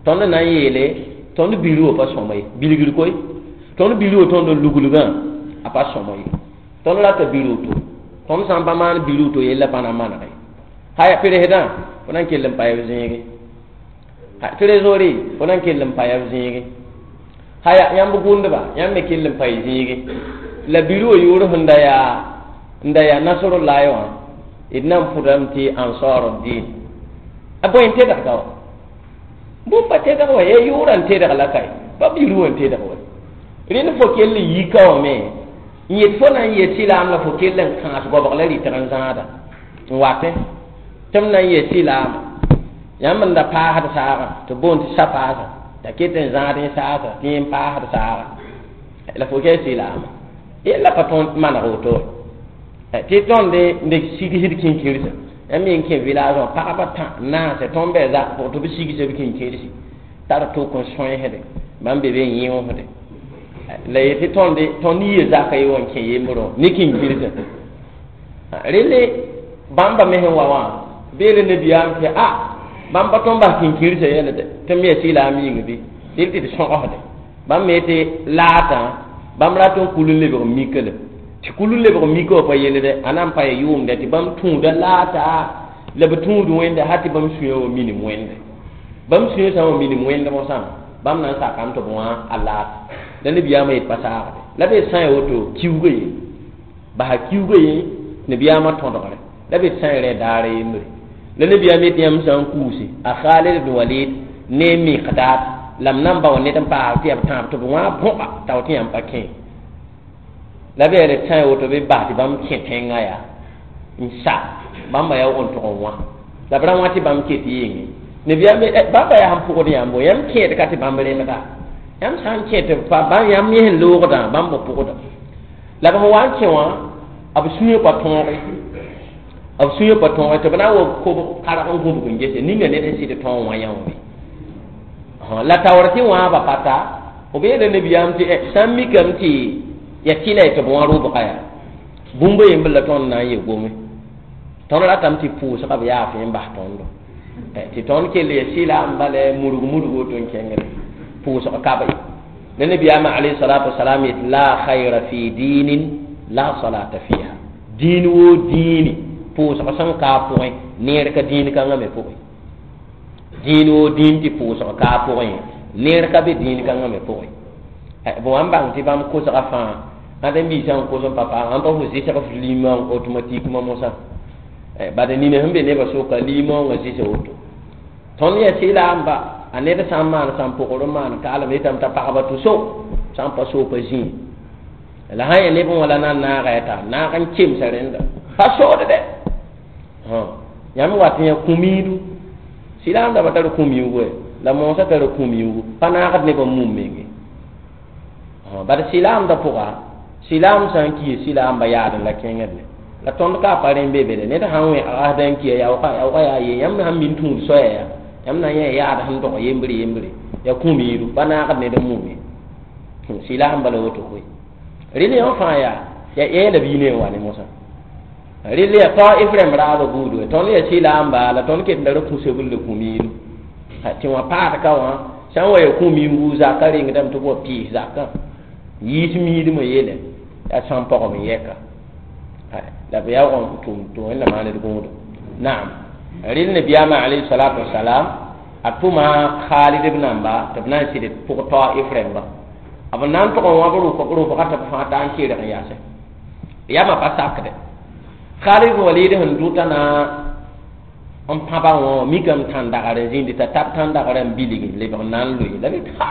tõnd na n yeele tõnd bir wã pa sõma ye bilgr koe tõnd bir wã tõnd n luglgã a pa sõma ye tõnd rata bir woto tõnd sã n pa maan bir woto yella pa na manege haya peresdã fo na n kell n pa ya b zẽege trésorier fo na n kell n pa ya b zẽege haya yãmb gʋndba yãmb me kell n pa y zẽege la bir wã yʋʋr sẽn da yaa n da yaa nasrullahi wã d na n pʋdame tɩ ansar din a bõe n tedgda wa bũmb pa tedg wa ya yʋʋrã n tedg la kae pa bir wã n tedg wa rẽnd fo kell n yika wã me n yet fo na n yet sɩlaam la fo kell n kãas goabg la rɩtg n zãada n watẽ tɩ m na n yet sɩlaama yãmb n da paasd saagã tɩ boond tɩ sa-paasã t'a ket n zãad n saasa tɩ yẽ n paasd saagã la fo kɛ sɩlaama yella pa tõnd maneg woto tɩ tõnd n sigsd kĩnkirsa Yãmb yen kẽ village wã pagba tã naase tõnd bɩ zak pʋgẽ tɩ b sigsã b kĩnkẽedsi tar tok n sõensde bãmb be be n yẽosde la yetɩ tõnd tõnd yia zaka ye wã n kẽ yembrẽ ne kĩnkĩrsã relle bãmba me sẽn wa wã beele nabiyaam tɩ a bãmb pa tõnd bas kĩnkĩrsã yɛl de tɩ m ya sɩlaam yĩng bɩ dɩl tɩ d sõgsde bãmb me tɩ laatã bãmb rat n kul n lebg mika la tɩ kul n lebg mika wã pa yellde a na n pa ya yʋʋmdɛ tɩ bãmb tũuda laata la b tũud wẽnde hal tɩ bãmb sũyã wa minim wẽnde bãmb sũyã sã n wa minim wẽnd mosã bãmb na n sakame tɩ b wã a laat la nabiyaamã yet pa saagde la b sã n ya woto kiuga ye basa kiuga ye nabiyaamã tõdgre la b sã n rẽ daara yembre la nabiyaam yet yãmb sã n kuuse a Khalid ibn Walid ne Miqdad la m nan ba wa ned n paas tɩ yaa b tãab tɩ b wã bõga t'a tɩ yãmb pa kẽ la b yaa sã n ya woto bɩ bas tɩ bãmb kẽ tẽngã yaa n sa bãmba yaa n tʋg n wã la b ra wã tɩ bãmb ket yenge nabiyaam bãmba yaa sẽn pʋgd yãmbo yãmb kẽed ka tɩ bãmb rẽmda yãmb sã n kẽ tɩ pa bãmb yãmb yẽ sẽn loogdã bãmb b pʋgda la b sẽn wa n kẽ wã b sũyã pa tõoge b sũyã pa tõoge tɩ b na n wa kob karg n gũbg n gese ninga ned sẽn sɩd tõog wã yã wã la taoor tɩ wãaba pa ta b yeela nabiyaam tɩ sã n mikame tɩ ya tɩla tɩ b wã rʋbga yaa bũmb yembr la tõnd na n ye gome tõnd ratame tɩ pʋʋsga b yaaf n bas tõndo tɩ tõnd kell ya sɩlaam bala murg murg woto n kẽngre pʋʋsg ka be la nabiyaamã alayhi salatu wasalam yet la khayra fi dinin la salata fiha diin woo diini pʋʋsg sẽn ka a pʋgẽ neer ka diin kãngã me pʋgẽ diin woo diin tɩ pʋʋsg ka a pʋgẽ neer ka be diin kãngã me pʋgẽ b wa n bãng tɩ bãmb kosga fãa ãd n biisã n kos n pa paam ãn pa fo zɩsg f limã automatiquement mosã bad nina sẽn be nebã soka limõongã zɩsa woto tõnd yaa sɩlaamba a ned sã n maan sã n pʋgr n maan kaalem yetame t'a pagba tɩ so sã n pa soopa zĩig la sã n yaa neb wã la na n naaga ya taa naag n kemsa rẽnda pa sood dɛ yãmb wat yã kũ-miidu sɩlaam dãmba tar kũ-miugu la moosã tar kũ-miugu pa naagd nebã mum menge bad sɩlaamdã pʋga sɩlaam sã n kiya sɩlaamba yaadẽ la kẽngd la tõnd ka pa rẽ be be de ned sã n wẽ asda n kiya yaoogã yaoogã yaa ye yãmb sãn min tũud soaya yaa yãmb na n yã yaad sẽn dog yembre yembre yaa kũ-miidu pa naagd ned n mume sɩlaam bala woto koe rel yã fãa yaa ya yeela bii ne n wa ne mosã rel yaa Taif rãmb raabã buudu tõnd yaa sɩlaamba la tõnd ket n da ra kũsebl la kũ-miidu tɩ wã paad ka wã sã n wa ya kũ-miugu zakã rengdame tɩ b wa pɩɩs zakã yiis miidmã yeele yaa sãn pɔgem n yɛka la b yaoog n tʋm tɩ wẽnnaam maand d gũudo naam rel nabiyaamã alayhi salatu wasalam a tʋma Khalid b namba tɩ b na n sɩd pʋg Taif rãmba b na n tʋg n wãb rʋbga tɩ b fãa taa n keerg n yaase yamã pa sakde Khalid Walid sẽn dʋta na n pãba wã mikame tãn-dagr n zĩndi t'a tab tãn-dagrã n bilg n lebg n na n loe la b ha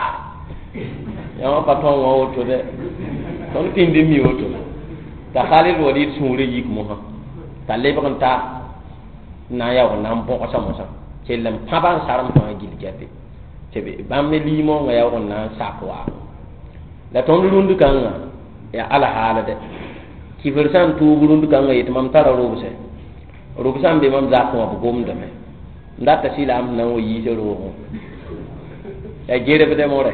yãmb pa tõn wã woto dɛ tõnd pĩnd n mi woto t'a Khalid Walid sũurã yik mosã t'a lebg n ta n na n yaoog n na n bõgsa mosã kell n pãba n sarem fãa gill gɛpe tɩ bãmb ne liimoongã yaoog n na n sak waabo la tõnd rũnd kãngã yaa alhaal dɛ kifr sã n tuug rũnd kãngã yetɩ mam tara rʋbsɛ rʋbsã n be mam zakẽ wã b gomdame n data sɩlaam sẽn na n wa yiisa roogẽ yaa gerebdɛ morɛ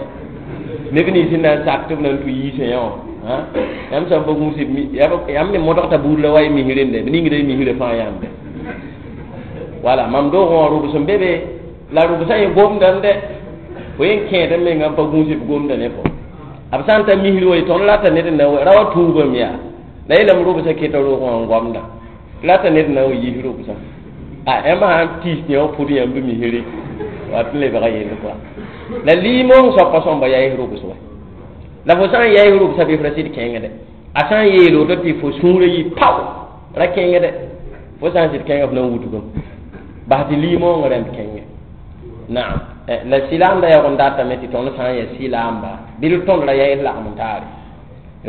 neb nins sẽn na n sak tɩ b na n tũ yiisã yã wã yãmb sã n pa gũus yãmb me modgta buud la wa y mis rẽnde b ningda y misrã fãa yãmbe wala mam doogẽ wã rʋbs n be be la rʋbsã yẽ gomdame dɛ fo yen kẽed n menga n pa gũus b gomda ne fo b sã n ta misr wa tõnd rata ned n na ra wa tuugame yaa la yeelame rʋbsã keta roogẽ wã n gomda rata ned n na n wa yiis rʋbsã a yãmb sã n tiis yã wã pʋd yãmb misre wat n lebga yell koa la liimoong soapa sõmba yaɩs rʋbs wa la fo sã n yaɩs rʋbsã bɩ f ra sɩd kẽngdɛ a sã n yeel woto tɩ fo sũurã yɩ pao ra kẽngdɛ fo sã n sɩd kẽnga f na n wudgame bas tɩ liimoongã rãmb kẽngẽ naam la sɩlaamda yaoog n datame tɩ tõnd sã n yaa sɩlaamba bɩ d tõnd ra yaɩs lagm n taare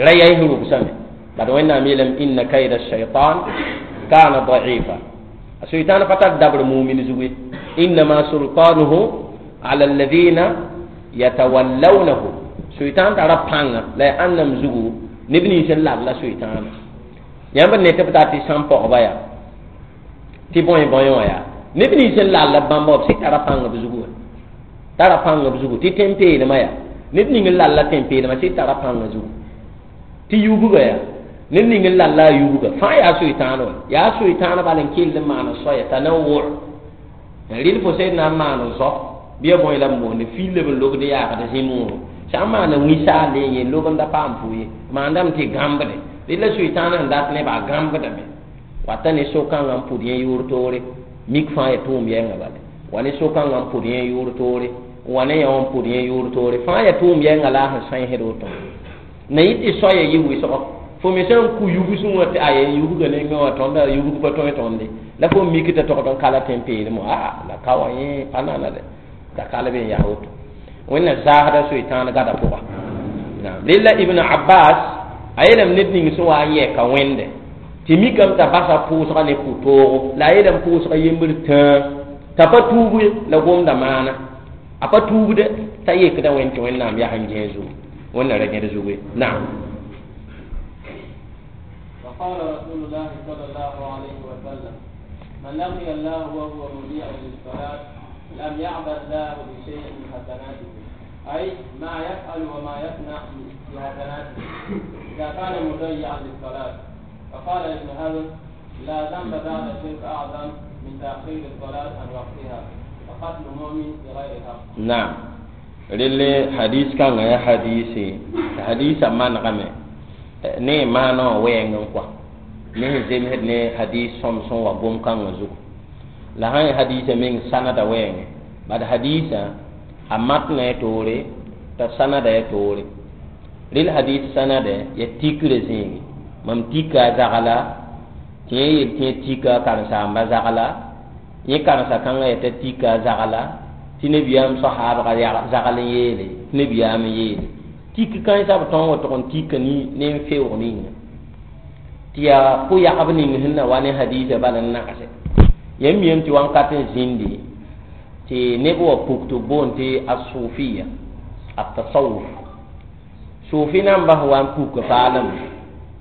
ra yaɩs rʋbsame bad wẽnnaam yeelame inna kaida shaitan kana daifa a sʋɩtãan pa tar dabr mumin zugu ye innama sultanuhu ala alladhina yatawallawnahu sʋɩtãan tara pãnga la ya ãnnam zugu neb nins n lab la sʋɩtãana yãmb ne tɩ b dat tɩ sãn pɔgba yaa Tɩ bõe bõe wã yaa neb nins sẽn lall b bãmba b sɩd tara pãng b zugu tara pãng b zugu tɩ tẽn-peelmã yaa ned ning n lalla tẽn-peelmã sɩd tara pãngã zugu tɩ yubga yaa ned ning n lalla a yubga fãa yaa soy-tãan wa yaa soy-tãan bal n kell n maan soaya t'a na wʋr rɩl fo sẽn na n maan zɔ bɩ ya bõe la b boonde fil la b n lobd yaagd zĩ-mooro sã n maana wĩ-saal le yẽ lob n da paam fo ye maandame tɩ gãmbde rɩl la soy-tãan sẽn dat nebã a gãmbdame wata ne so-kãngã n pʋd yẽ yʋʋr toore mik fãa ya tʋʋm yɛngã bale wa ne so-kãngã n pʋd yẽ yʋʋr toore wa ne yã wã n pʋd yẽ yʋʋr toore fãa ya tʋʋm yɛngã la a sẽn sãensd woto na yɩ tɩ soaya yɩ wɩsgɔ fo me sã n ku yubsẽ wã tɩ aya yubga nengẽ wã tõnda yubg pa tõe tõnde la fo mik t'a togd n kala tẽn-peelem wã aa la ka wã yẽ pa nana dɛ la kal be n yaa woto wẽnna zaasda soy-tãan gada pʋga rella Ibn Abbas a yeelame ned ning sẽn wa n yɛka wẽnde tɩ mikame t'a basa pʋʋsga ne pʋ-toogo la a yeelame pʋʋsga yembr tãa t'a pa tuub la gomda maana a pa tuubde t'a yekda wẽnd tɩ wẽnnaam yaa sẽn gẽe zugu wẽnna ra gẽd zugu ye naam. وقال رسول الله صلى الله عليه وسلم من لقي الله وهو مضيع للصلاة لم يعبأ الله بشيء من حسناته أي ما يفعل وما يصنع بحسناته إذا كان مضيعا للصلاة. فقال ابن حزم لا ذنب بعد الشرك أعظم من تأخير الصلاة عن وقتها وقتل مؤمن بغير حق. نعم relle hadis kãngã yaa hadise hadisã manegame ne maana wã wɛɛng n kɔa ne sẽn zemsd ne hadis sõm sẽn wa gom-kãngã zugu la sã n hadisã meng sanada wɛɛngẽ bad hadisã a matnã ya toore t'a sanada ya toore rel hadis sanada ya tikrã zĩigi mam tika a zagla tɩ yẽ yel tɩ yẽ tika a karen-saamba zagla yẽ karen-sa-kãngã yaa t'a tika a zagla tɩ nabiyaam sahaabga zagl n yeele tɩ nabiyaam n yeele tik kãensã b tõog tɩg n tika ne n feoog ninga tɩ yaa pʋ-yagb ning sẽn na wa ne hadiisã bala n nagse yãmb miyame tɩ wãnkat n zĩndi tɩ neb wa puk tɩ b boond tɩ a-suufiya a-tasawuf suufi nambã sẽn wa n puka paalem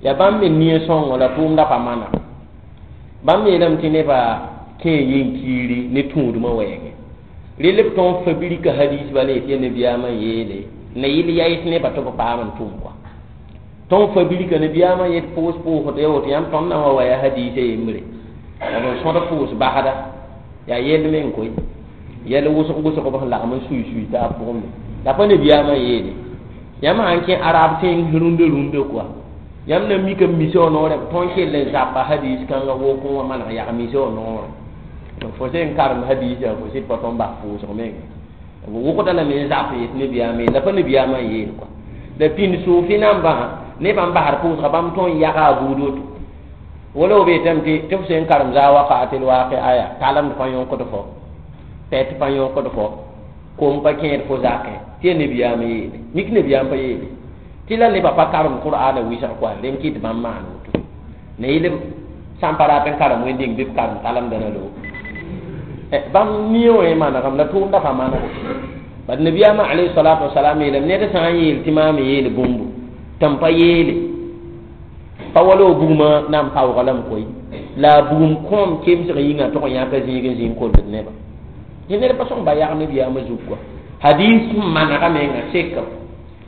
yaa bãmb me nia sõngo la tʋʋmda pa mana bãmb yeelame tɩ nebã kẽe yen-kiiri ne tũudmã wɛɛngẽ rel b tõog fabrika hadis bala yetɩ yaa nabiyaamã n yeele na yɩl yaɩs nebã tɩ b paam n tʋm kɔa tõog fabrika nabiyaamã yet pʋʋs pʋʋsd ya woto yãmb tõnd na wa wa yaa hadiisã yembre b n sõd pʋʋs basda yaa yell meng koe yɛl wʋsg wʋsg b sẽn lagm n sui sui taab pʋgẽ me la pa nabiyaamã yeele yãmb sãn kẽ arab tẽng rũndã rũndã kɔa yãmb na mika misa wã noorẽ b tõnd kell n zapa hadis kãngã wokẽ wã maneg yag misa wã noorẽ fo sẽn karem hadiisã fo sɩd pa tõnd bas pʋʋsg menga b wʋgda lame n zap yet nabiyaamã yeel la pa nabiyaamã n yeel kɔa la pĩnd sʋʋfi nambã nebã n basd pʋʋsga bãmb tõnd yaga a buud woto wala b yetame tɩ f sẽn karem zaa wakatil waaqi aya talemd pa yõkd fo pɛt pa yõkd fo kom pa kẽed fo zakẽ tɩ yaa nabiyaamã yeele mik nabiyaam pa yeele tɩ la nebã pa karem qur'ana wɩsg kɔa rẽnd kɩt bãmb maan woto na yɩl sã n pa rat n karem wẽnd-dĩng bɩ b karem talemdã na loog bãmb nie wã yẽ manegame la tʋʋmda pa manego bad nabiyaamã alayhi salatu wasalam yeelame ned sã n yeel tɩ maam yeel bũmbu tɩ m pa yeele pa wala b bugmã na n paoog lame koe la a bugum kõom kemsg yĩnga tʋg n yãka zĩig n zĩig n kolgd nebã tɩ ned pa sõng ba yag nabiyaamã zug kɔa hadis sẽn manega menga sekam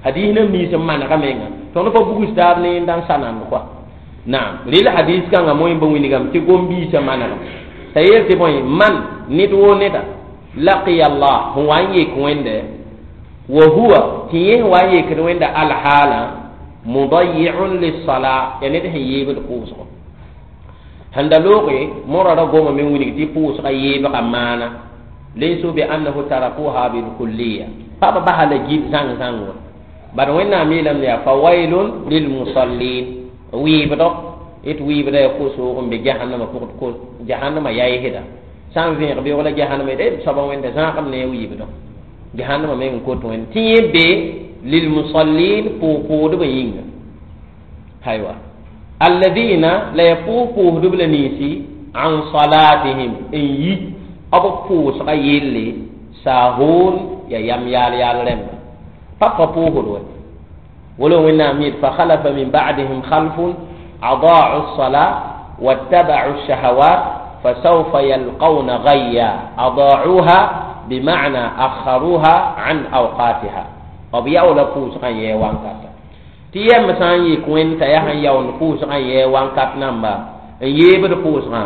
hadis nam nins n manega menga tõnd pa bugs taab ne yẽnda n sa nand kɔa naam rel hadis kãngã moẽ ba wilgame tɩ gom-biisã manegame t'a yeel tɩ bõe man ned woo neda laqiya Allah sẽn wa n yek wẽnde wa huwa tɩ yẽ sẽn wa n yekd wẽnda alhaala mudayi'un lissala yaa ned sẽn yeebd pʋʋsgo sẽn da looge morã ra goma me wilg tɩ pʋʋsga yeebga maana laysu bi annahu tarakuha bilkulliya pa b basa la gil zãng zãng wa bad wẽnnaam yeelame yaa fawailun lilmusallin wɩɩbdɔ yet wɩɩbda yaa kosoog n be jahannama pʋgd ko jahannama yaɩsda sã n vẽeg beoog la jahannama yet soaba wẽnda zãagem ne wɩɩbdɔ jahannama meng n kot wẽnd tɩ yẽ be lilmusallin pʋʋg-pʋʋdbã yĩnga aywa alladina la ya pʋʋg-pʋʋsdb la ninsi an salatihim n yi b pʋʋsga yelle saahoon ya yam yaal yaal rẽmba pa pa pʋʋsd wa wala wẽnnaam yet fa khalafa min ba'dihim khalfun adaa'u الصلاة واتبعوا الشهوات فسوف يلقون غيا. أضاعوها بمعنى أخروها عن أوقاتها. b yaoola pʋʋsgã yɛɛ wãnkata tɩ yɛm sã n yik wẽnd t'a yaa sẽn yaoond pʋʋsgã yɛɛ wãnkat namba n yeebd pʋʋsgã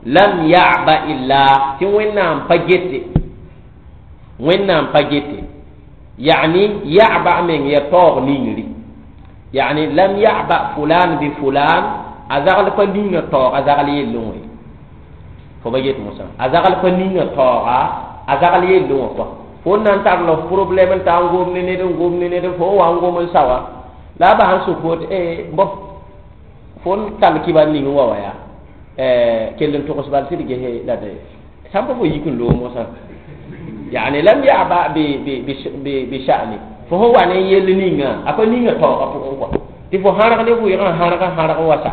lam yaba illa tɩ Wẽnnaam pa gete, Wẽnnaam pa gete, yani yaba meng ya taoog ningri, yani lam yaba fulan bi fulan, a zagl pa ninga taoog a zagl yellẽ wã ye. Fo ba get mosã, a zagl pa ninga taooga a zagl yellẽ wã kɔa. Fo n na n tar la f problɛm n ta n gom ne ned, n gom ne ned, fo n wa n gom n sa wã la a bas n sʋk fo tɩ bõ fo n tall kɩbar ning n wa wa yaa kell n togs bal tɩ d gese la d sãn pa fo yik n loog mosã, yani lam yaba bi sha'ni, fo sẽn wa ne yell ninga a pa ninga taoogã pʋgẽ kɔa, tɩ fo hãrg ne vʋɩgã hãrg hãrg wa sa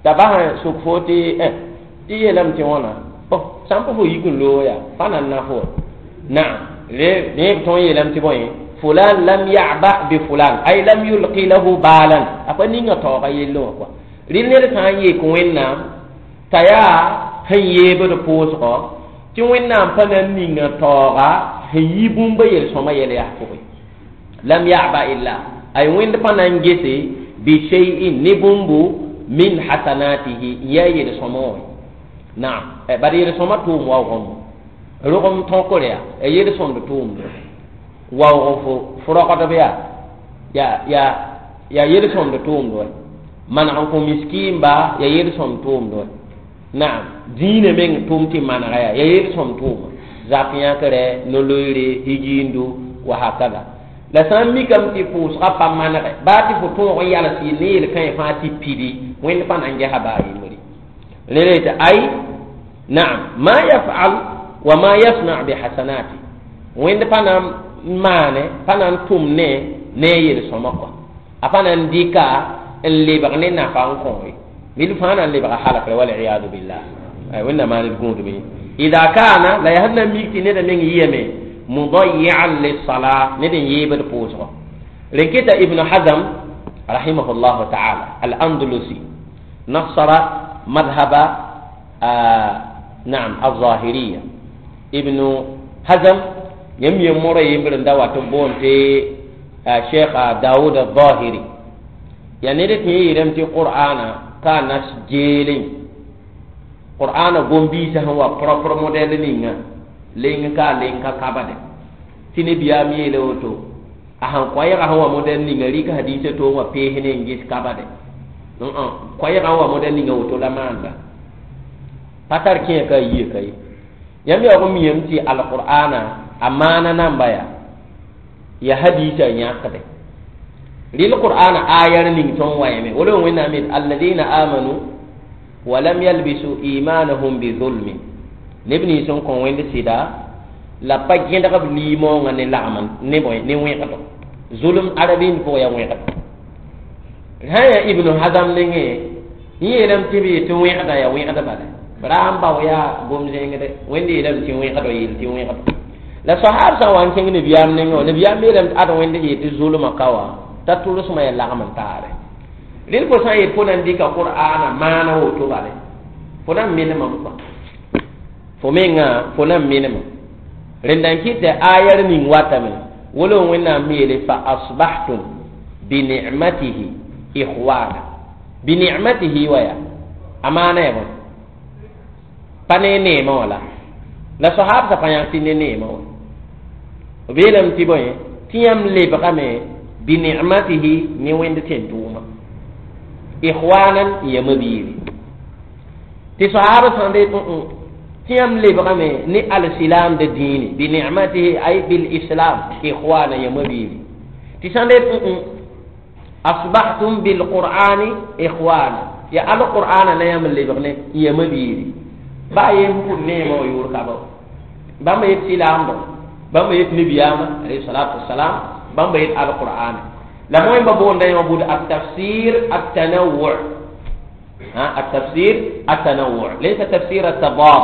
t'a bas n sʋk fo tɩ tɩ yeelame tɩ wãna bõ sãn pa fo yik n loog yaa pa nan na fo naam. Ne tõe yeelame tɩ bõe fulan lam yaba bi fulan, ay lam yulqi lahu balan, a pa ninga taooga yellẽ wã kɔa. Rɩl ned sã n yek Wẽnnaam t'a yaa sẽn yeebd pʋʋsgɔ tɩ Wẽnnaam pa na n ninga taooga sẽn yi bũmba yel-sõma yɛl yaa pʋgẽ lam yaba illa, ay Wẽnd pa na n gese bi shay'in ne bũmbu min hasanatihi n yaa yel-sõma wã. Naam, bad yel-sõma tʋʋm waoogame rogem tõkr yaa yel-sõmd tʋʋmd waoog fo rogdb yaa yaa yel-sõmd tʋʋmd wa, maneg n kõ miskiimba yaa yel-sõmd tʋʋmd wa. Naam, dĩinã meng tʋʋm tɩ manega yaa yel-sõmd tʋʋma, zak yãkre, no-loeere, higiindu wa hakada. La sã n mikame tɩ pʋʋsgã pa manege baa tɩ fo tõog n yals ne yel-kãe fãa tɩ pidi, Wẽnd pa na n gesa baa yembre. Rẽ tɩ ay naam ma yafal wa ma yasna bi hasanati, Wẽnd pa na n maane, pa na n tʋm ne yel-sõma kɔa, a pa na n dɩka n lebg ne nafa n kõ ye, mil fãa na n lebga halkre, waliyadu billah. Ay Wẽnnaam maan d gũudme. Ida kaana la yaa sẽn na n mik tɩ neda meng yɩyame mudayian lissala, ned n yeebd pʋʋsgɔ. Rẽ kɩta Ibn Hazm rahimahullahu taala al-Andalusi nasara madhaba naam al-zahiriya. Ibn Hazm yãmb yem mora yembr n da wat n boond tɩ Cheikh Daoud al-Zahiri yaa ned tɩ yẽ yeelame tɩ Qur'ana ka nas geelẽ, Qur'ana gom-biisã sẽn wa propre modɛl ninga leng ka leng ka kabade tɩ nebiyaam yeela woto, a sẽn koɛɛgã sẽn wa modɛl ninga rɩk hadiisã toog wã pees ne n ges kabade koɛɛgã wa modɛl ninga woto la maanda pa tar kẽe ka a yie ka ye. Yãmb yaoog n miyame tɩ alqur'ana a maana namba yaa hadiisã yãkde. Rɩl Qur'ana ayar ning tõnd wa yẽme wala Wẽnnaam yet alladina amanu wa lam yalbisu imanahum bi zulmin, neb nins n kõ Wẽnd sɩda la pa gẽdg b liimoongã ne lagm ne bõe ne wẽgdo, zulm arabind pʋgã yaa wẽgdo. Sã n yaa Ibnu Hazam nengẽ yẽ yeelame tɩ b yetɩ wẽgda yaa wẽgd bala ra n bao yaa gom-zẽngde, Wẽnd yeelame tɩ wẽgdo yeel tɩ wẽgdo. La sahab sã n wa n kẽng nebiyaam nengẽ wã, nebiyaam yeelame tɩ ad Wẽnd yetɩ zulmã ka wã t'a tʋlsmã yaa lagm n taare. Rẽnd fo sã n yet fo na n dɩka Qur'ana maana woto bale fo na n menemame kɔa, fo mengã fo na n menema. Rẽnda n kɩt tɩ ayar ning watame wala Wẽnnaam yeele fa asbahtum bi ni'matihi ikhwana, bi ni'matihi wa yaa a maana yaa bõe pa ne neemã wã la sahab sã pa yãk tɩ ne neemã wã b yeelame tɩ bõe tɩ yãmb lebgame bi ni'matihi ne Wẽnd tẽn-tʋʋma ikhwanan yama biiri. Tɩ sahaba sã n de tɩ yãmb lebgame ne alsilam de dĩini bi ni'matihi ay bil islam ikhwana yama biiri. Tɩ sã n de asbahtum bil qur'ani ikhwana, ya alqur'ana la yãmb lebg ne yama biiri. Baa yem pʋd neemã wã yʋʋr ka ba bãmb yet silaamdo, bãmb yet nebiyaamã alayhi salatu wassalam, bãmb yet alqur'ana. La wẽmba boonda yã bud at-tafsir at-tanawwu', at-tafsir at-tanawwu' laysa tafsir at-tadad,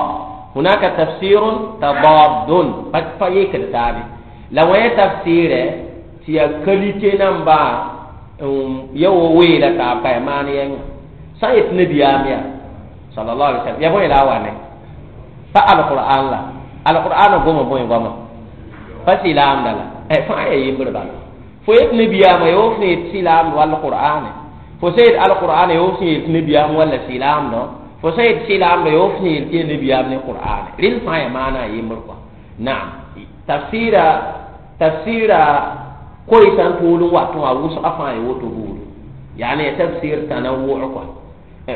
hunaka tafsir tadad pa yekd taabe. La wẽ tafsɩɩrɛ tɩ yaa qualité namba ya wa weela taab ka yaa maan yɛnga sã n yet nebiyaam yaa sallallahu alaihi wasallam ya bõe la a wa ne Pa alqur'an la alqur'an goma bõe goama pa silaamda la fãa ya yembr bala fo yet nabiyaamã yo sẽn yet silaamd wall qur'ane fo sẽn yet alqur'ane yo sẽn yet nabiyaam walla silaamdõ fo sẽn yet silaamdã yo sẽn yel tɩ ya nabiyaam ne qur'ane rel fãa ya maana a yembr kɔa naam tafsira tafsira koy sã n tuul n wat wã wʋsga fãa ya woto buudu yaani tafsir tanawwu kɔa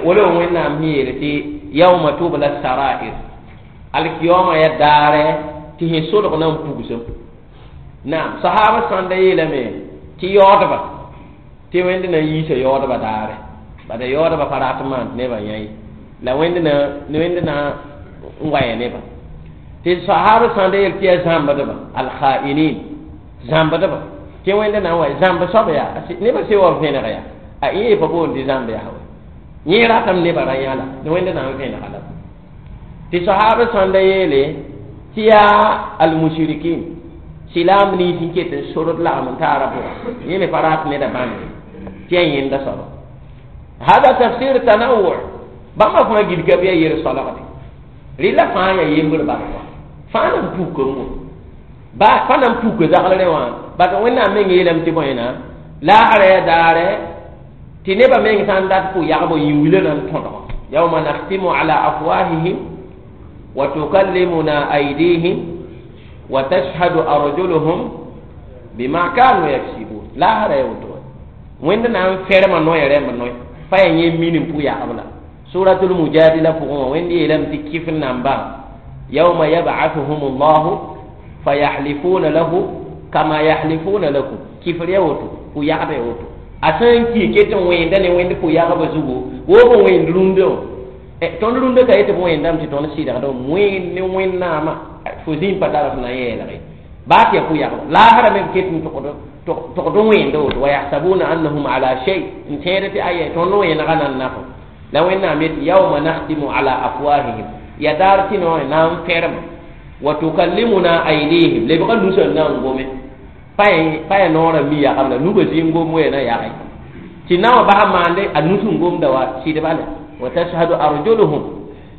wala wẽnnaam sẽn yeel tɩ yauma tubla sarair alkiyoma ya daare tɩ sẽn solg na n pugsem naam sahaba sãnda yeelame tɩ yaoodba tɩ wẽnd na n yiisa yaoodba daare bada yaoodba pa rat n maan tɩ nebã yã ye la wẽnd na wẽnd na n wa yã nebã tɩ sahaba sãnda yeel tɩ yaa zãmbdba alkhainin zãmbdba tɩ wẽnd na n wa zãmb soab yaa nebã se wa vẽneg yaa a yẽ pa boond tɩ zãmb yaa wa yẽ ratame nebã ra yã la wẽnd na n vẽnega la tɩ sahaba sãnda yeele tɩ yaa almushrikin silaam nins n ket n sord lagm n taara pʋga yẽ me pa rat neda bãmb tɩ yaa yẽnda soaba hada tafsir tanawu bãmba fãa gilga bɩ yaa yer solgde rɩla fãa yaa yembr bal kɔa fãa na n puka n ba pa na n puka zaglrẽ wã bat wẽnnaam meng yeelame tɩ bõe na laasra yaa daare tɩ nebã meng sã n dat pʋ yagbo yĩn-wila na n tõdg yauma nakhtimu ala afwahihim wa tukallimuna aydihim wa tashhadu arjuluhum bima kanu yaksibun laasra yaa woto wẽnd na n ferma noya rẽmb noy pa yaa yẽ min n pʋ yagb la suratul mujadila pʋgẽ wã wẽnd yeelame tɩ kɩf n namba yauma yab'athuhum llahu fayahlifuna lahu kama yahlifuna lakum kifr ya woto pʋ yagd ya woto a sã n ki ket n wẽnda ne wẽnd pʋ yagbã zugu wo b wẽnd rũndã wã tõnd rũndã ka yetɩ b wẽndame tɩ tõnd sɩdgd wẽnd ne wẽnnaamã fo zĩig pa tar f na n yeelge baa tɩ yaa pʋ yagba laasra me b ket n togd n wẽnda woto wa yahsabuna annahum ala shay n tẽed tɩ aya tõnd wẽnega na n nafo la wẽnnaam yetɩ yauma nakhtimu ala afwahihim ya daar tɩ no na n ferma wa tukallimuna aydihim lebga nusã na n gome pa ya noorã mi yagb la nubã zĩ n gom wɛ na yage tɩ na wã basa maande a nus n gomda wa sɩdba la wa tashhadu arjuluhum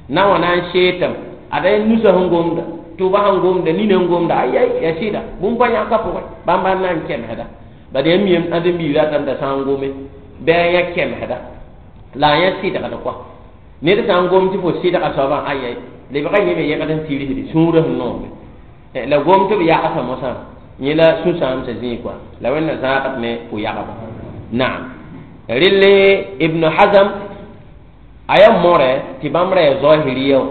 na wã na n seetame ada nusã sẽn gomda tʋba sẽn gomda nina n gomda ayai ya sɩda bũmb pa yãka pʋgẽ bãmba n na n kemsda bad yaa miyam ãdem-biig ratame t'a sã n gome bɩ a yã kemsda la a yã sɩdgd kɔa ned sã n gom tɩ fo sɩdga soabã ayai lebga yẽ me yẽgd n tirsde sũurã sẽn noome la gom tɩ b yagsa mosã yẽ la sũ-sãamsã zĩig kɔa la wẽnna zãagd ne pʋ-yagba naam relle ibn hazam a yaa mõre tɩ bãmb ra yaa zahiriya wã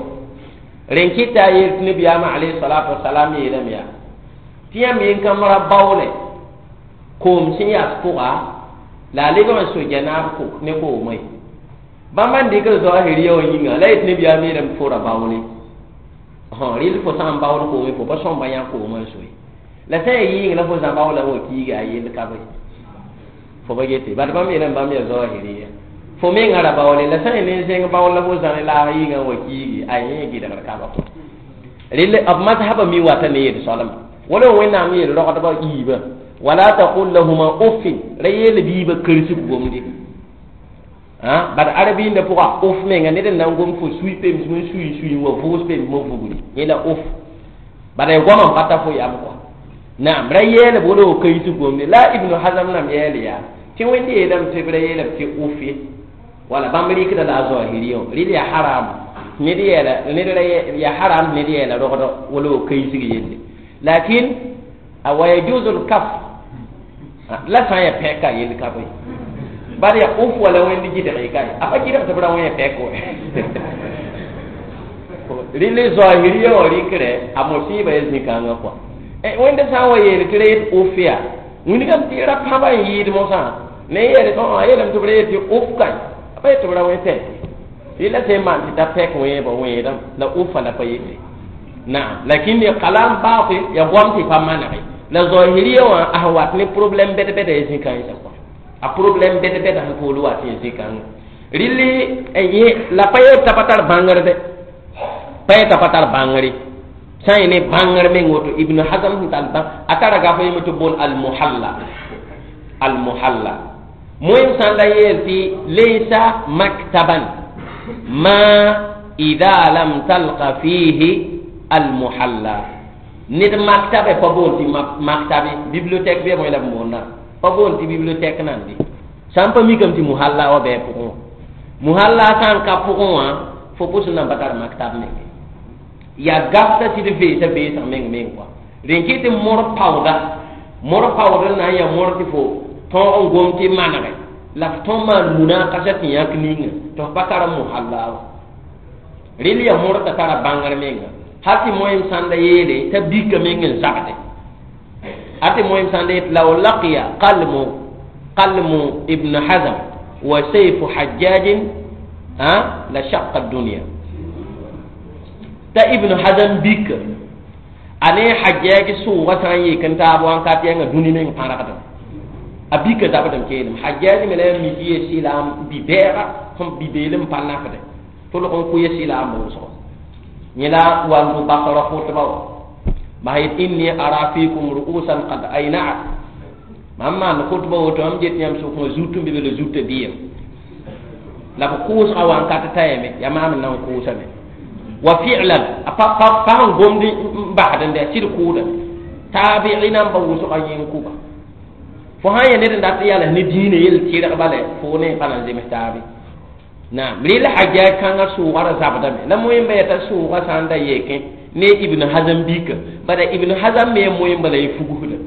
rẽn kɩta a yeel tɩ nabiyaamã alayhi salatu wasalam yeelame yaa tɩ yãmb yẽn-kãmb ra baoole koom sẽn yas pʋga la a lebg n so janaab ne koomã ye bãmba n dɩkd zahiriya wã yĩnga la yet nabiyaam yeelame tɩ fo ra baoole rɩl fo sã n baood koome fo pa sõmba yã koomã n soe la sã n yaa yɩɩng la fo zã baoola wa kiiga a yell ka be fo pa gete bad bãmb yeelame bãmb yaa zahiriya fo menga ra baoole la sã n ne zẽng baool la fo zã ne laag yĩngã wa kiigi a yẽ gɩdgr kaba kɔ rel b mazhaba mi wata ne yel soalma wala wẽnnaam yeel rogdbã yiibã wala taqul lahuma uffin ra yeel biibã kersg gomde bad arabĩndã pʋga uf menga ned n na n gom fo sui pems n sui sui wa vʋʋs pems mo vugri yẽ la uf bad ya goamã n pa ta fo yam kɔa naam ra yeelb wala wo keisg gomde la ibnu hazam nam yeel yaa tɩ wẽnd yeelame tɩ b ra yeelame tɩ uf ye wala bãmb rɩkda la a zahiriya rɩl yaa haram ned yeela ned ra yaa haram ned yeela rogd wala wo keisg yelle lakin wa yajuzu lkaf la sã n yaa pɛka yell ka bɩ bad yaa uf wala wẽnd gɩdg ka ye a pa gɩdg tɩ b ra wẽ pɛk wɛ rɩl zahiriya wã rɩkrɛ a mosɩɩba ya zĩ-kãngã kɔa wẽnd sã n wa yeel tɩ ra yet uf yaa wilgame tɩ ra pãba n yɩɩd mosã ne yeele tɩ a yeelame tɩ b ra yet tɩ uf kae a pa yet tɩ b ra wẽ pɛk rɩla sẽn maan tɩ ta pɛk wẽebã wẽedame la ufa la pa yete naam lakin ya kalam batil ya goam tɩ pa manege la zahiriya wã a sẽn wat ne problème bɛd-bɛda ya zĩ-kãensã kɔa a problème bɛd-bɛda sẽn pool wa tɩ ya zĩ-kãngã rɩlli la pa yeel t'a pa tar bãngr dɛ pa yet'a pa tar bãngre sã n yẽ ne bãngr meng woto ibnu hazam sẽn tall bãng a tara gaf yeme tɩ boon almuhalla almuhalla moem sã n la yeel tɩ laysa maktaban ma Ida lam talqa fihi almuhalla ned maktabe pa boon tɩ maktabe bibliothèque bɩ bõe la b boonda pa boon tɩ bibliothèque nan bɩ sã n pa mikame tɩ muhalla wa bɩ a pʋgẽ wã muhalla sã n ka pʋgẽ wã fo pʋs n nan pa tar maktab menge yaa gafta tɩ d veesa veesg meng meng kɔa rẽn kɩ tɩ mor paooda mor paood n na n yaa mor tɩ fo tõog n gom tɩ manege la f tõe maan munakasa tɩ yãk ninga tɩ f pa karem muhalla wa rel yaa mor t'a tara bãngr menga hal tɩ moẽm sãnda yeele t'a bika meng n zabde a tɩ moẽm sãnda yet law laqiya qalmu ibn hazm wa sayfu hajjajin la shaqqa dunya t'a ibn hazm bika a ne hajjaji sʋʋga sã n yik n taab wãnkat yãnga dũni meng pãrgdem a bika zabdem keelem hajjaji me la yaa mik ye sɩlaam bi-bɛɛga sẽn bi-beelem pa nafde tʋlg n kʋ ye sɩlaam wʋsgo yẽ la wandu basra khutba wa bas yet inni ara fikum ru'usan qad aynaat mam maan khutba woto mam get yãmb sʋk wã zut n be be la zutã bɩyem la b kʋʋsga wãnkat tayame yaa maam n na n kʋʋsame wa fi'lan a pa pa n gomd n basd n dɛ sɩd kʋʋdame taabi'i namba wʋsga yẽ n kʋba fo sã n yaa ned n dat n yals ne dĩinã yel tɩrg bala fo ne pa na n zems taabe naam rel hajjaj kãngã sʋʋga ra zabdame la moẽmba yaa t'a sʋʋga sã n da yekẽ ne ibn hazm bika bala ibn hazm me moẽmba la y fugsda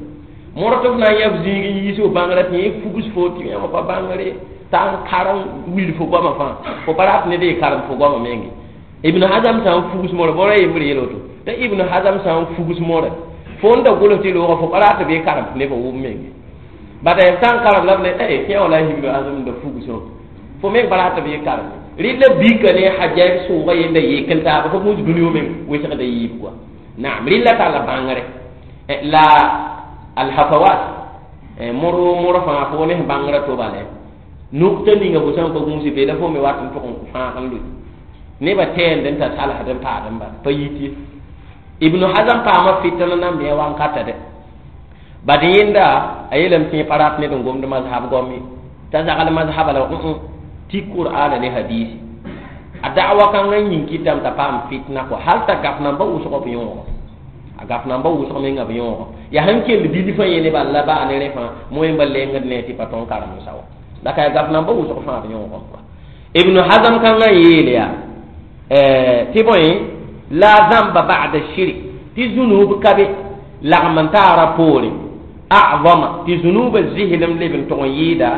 mõr tɩ f na n yaa f zĩig n yiis f bãngrã tɩ yẽ fugs fo tɩ yãmb pa bãngre t'a n karem wil fo goamã fãa fo pa rat ned y karem fo goamã menge ibn hazm sã n fugs mõre bõra yembr yel woto t'a ibn hazm sã n fugs mõre fo n da gʋls tɩ loogã fo pa rat tɩ bɩ karem tɩ nebã wʋm menge bada f sã n karem la b ne kẽ wã la ibn hazm da fugsõ fo meng pa rat tɩ bɩ karem rɩ la bika ne hajjaj sʋʋga yenda yek n taaba fo gũus dũni wã meng wesgda yiib kɔa naam rɩ la talla bãngre la alhafawat mor mor fãa fo ne bãngrã to bale nukta ninga fo sã n pa gũusi be la fo me wat n tʋg n fãag n lʋɩ nebã tɛɛnd n ta salsd n paad n bala pa yit ye ibnu hazam paama fitna nan me wankata dɛ bad yẽnda a yeelame tɩ pa rat ned n gomd mazhab goam ye t'a zagl mazhaba la tɩ qur'ana ne hadisi a da'wa kãngã yĩng kɩtame t'a paam fitna kɔa hal t'a gaf namba wʋsg b yõogo a gaf namba wʋsg menga b yõogo yaa sẽn kell bilfã yẽ ne bala la baa ne rẽ fãa moẽmba lengd ne tɩ pa tõn karem-sa wa la ka ya gaf namba wʋsg fãa b yõogã kɔa ibnu hazm kãngã n yeel yaa tɩ bõe la zãmba ba'da shirk tɩ zũnub ka be lagm n taara poore a'zama tɩ zũnubã zislem leb n tʋg n yɩɩda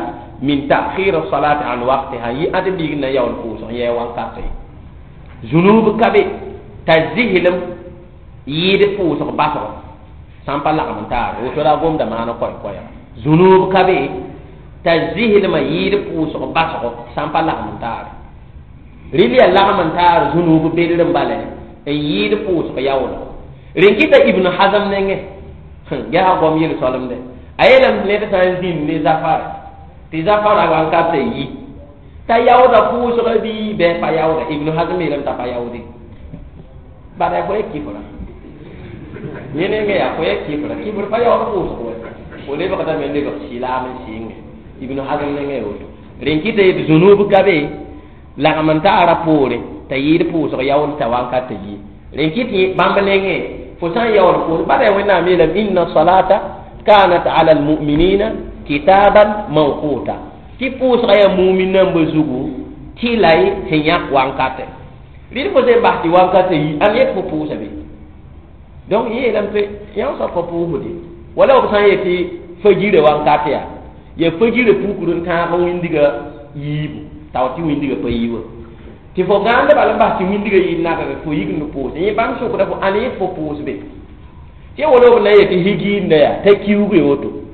min ta'khir as-salat an waqtiha yi ade biig na yaool pʋʋsg yɛ wankate zũnub ka be t'a zislem yɩɩd pʋʋsg basgo sã n pa lagm n taare woto la a gomda maana koɛ-koɛɛga zũnub ka be t'a zislmã yɩɩd pʋʋsg basgo sã n pa lagm n taare rɩl yaa lagm n taar zũnub bedr n bala n yɩɩd pʋʋsg yaoolgo rẽn kɩta ibn hazm nengẽ yaa goam yel-soalemdɛ a yeelame ned sã n zĩnd ne zafara tɩ zafara wankata yi t'a yaooda pʋʋsga bɩ bɩ pa yaooda ibn hazm yeelame t'a pa yaoode bada fo ya kifra yẽ nengẽ yaa fo ya kifra kifr pa yaood pʋʋsg wa fo lebgdame n lebg silaam n sɩnge ibn hazm nengẽ woto rẽn kɩta yet zũnub ka be lagm n taara poore t'a yɩɩd pʋʋsg yaool t'a wankata yi rẽn kɩt bãmb nengẽ fo sã n yaool pʋʋs bada wẽnnaam yeelame inna salata kanat ala almuminina kitaban mawquta tɩ pʋʋsga yaa mumin nambã zugu tɩ la y sẽn yãk wankatɛ rɩd fo sẽn bas tɩ wankatã yi ãn yet fo pʋʋsa be donc yẽ yeelame tɩ yã soab pa pʋʋsde wala b sã n yetɩ fajirã wankatɛ yaa yaa fajirã pukr n tãag wĩndiga yiibu tao tɩ wĩndiga pa yi wa tɩ fo gãanda bala n bas tɩ wĩndiga yɩɩd nagd fo yik n pʋʋs yẽ bãmb sʋkda fo ãn yet fo pʋʋs be tɩ wala b na n yetɩ higiinda yaa t'a kiuge woto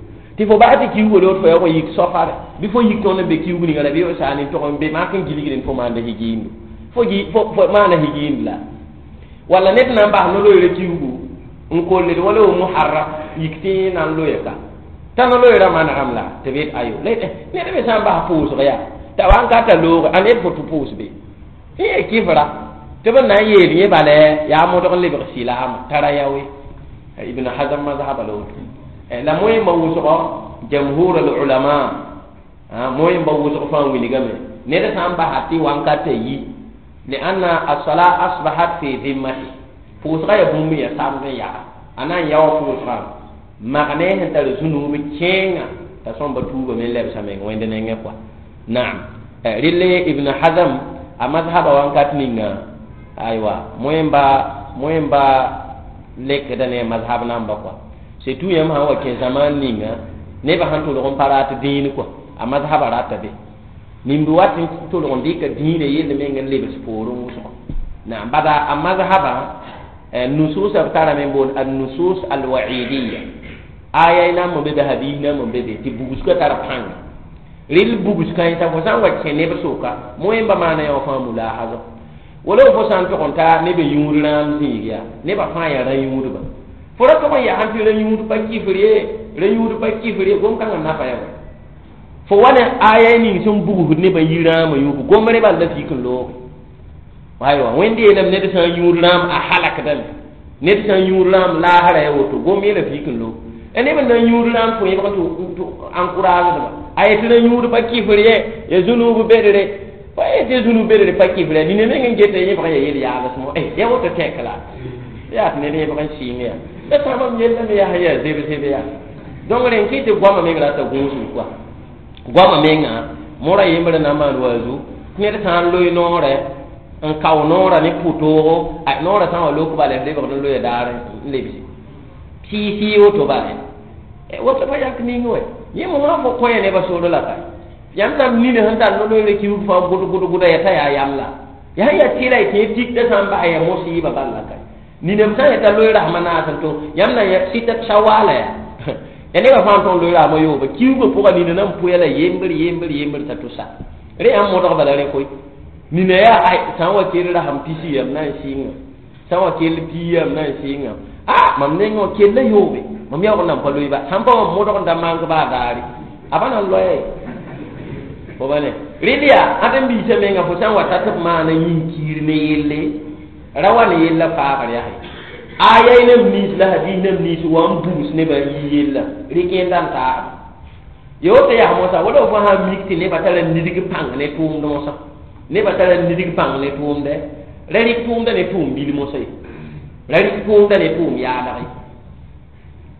tɩ fo bas tɩ kiuge woto fo yaa wa yik sɔfare bɩ fo yik tõnd n be kiug ninga la bɩ f saan n tʋg n be mak n gilgd n fo maanda higiindu fo fo maana higiind la walla ned na n bas no-loeera kiugu n kolled wala wa muharram yik tɩ na n loya ka t'a no-loeera manegame la tɩ b yet ayo ned me sã n bas pʋʋsg yaa t'a wa n ka ta looge ãn yet fo tɩ pʋʋs be yẽ kifra tɩ b na n yeel yẽ bala yaa modg n lebg silaama tara yaoe ibn hazm mazhaba la woto la moẽmba wʋsgɔ jamhur al ulama moẽmba wʋsg fãa wilgame ned sã n basa tɩ wankata yi لأن الصلاة أصبحت في ذمته pʋʋsga yaa bũmb ya samd n yaga a na n yao pʋʋsgã mag ne sẽn tar zũnub kẽenga t'a sõmba tuubame n lebsa meng wẽnd nengẽ kɔa naam rɩle Ibn Hazm a mazhaba wãnkat ninga aywa moẽmba lekda ne mazhab namba kɔa surtout yãmb sã n wa kẽ zamaan ninga nebã sẽn tʋlg n pa rat dĩin kɔa a mazhaba rata be nimb wat n tʋlg n dɩka dĩinã yell meng n lebs poorẽ wʋsgo naam bada a mazhaba nusus b tarame n boond النصوص الوعيدية aya nam n be be hadis nam n be be tɩ bugsgã tar pãnga rɩl bugs kãensã fo sã n wa kẽ neb sʋka moẽmba maana yã wã fãa mulahaza wala fo sã n tog n ta neb yũud rãam zĩig yaa nebã fãa yaa rã-yũudba fo ra tog n yaa tɩ rã-yũud pa kifr ye rã-yũud pa kifr ye gom-kãngã nafa ya fo wa ne aya ning sẽn bugsd nebã yi rãamã yũub gomre bal la fik n looge aywa wẽnd yeelame ned sã n yũud rãam a halakdame ned sã n yũud rãam laasra ya woto gom yeela fik n loog neb n na n yũud rãam fo yẽbg tɩ encouragedba a yetɩ ra yũud pa kifr ye ya zũnub bedre pa yetɩ zũnub bedre pa kifr ya nina meng n geta yẽbg ya yel yaabsmo ya woto tẽk la yaa tɩ ned yẽbg n sɩng ya la sãbam yellame yaa ya zeb zeb ya donc rẽn kɩ tɩ goama meng rata gũusum kɔa goama menga mora yembr na n maan waazu tɩ ned sã n loe noorɛ n kao noorã ne pʋtoogo a noorã sã n wa lok bala f lebgd n loya daar n lebse sɩɩ-sɩɩ woto bala woto pa yak ning wɛ yẽ mosã fo kõ nebã sor la ka yãmb sãn nina sẽn tar no-loeere kiug fãa gʋd gʋd gʋda ya t'a yaa yam la yaa sẽn yaa tɩla y tẽ tikda sã n bas ya mosiiba bal la ka ninam sã n yeta loe rasmã naas n to yãmb na sɩta sawaala ya ya nebã fãa n tõg loe rasmã yooba kiugã pʋga nina na n pʋya la yembr yembr yembr t'a tʋsa rẽ yãmb modg bala rẽ koe nina yaa ay sã n wa kell rasem pisi yam na n sɩnga sã n wa kell pii yam na n sɩnga a mam nengẽ wã kella yoobe mam yaoog n nan pa loe ba sãn pa mam modg n da mank baa daare a pa na n loɛɛ fo ba ne rɩl yaa ãdem-biisã menga fo sã n wa ta tɩ b maana yĩn-kiir ne yelle ra wa ne yella faagr yaa aya nem nins la hadis nem nins wa n bugs nebã n yi yella rɩk yẽnda n taasba yo tɩ yaa mosã wala fo sã n mik tɩ nebã tara nidg pãng ne tʋʋmd mosã nebã tara nidg pãng ne tʋʋmdɛ ra rɩk tʋʋmda ne tʋʋm bil mosã ye ra rɩk tʋʋmda ne tʋʋm yaalg ye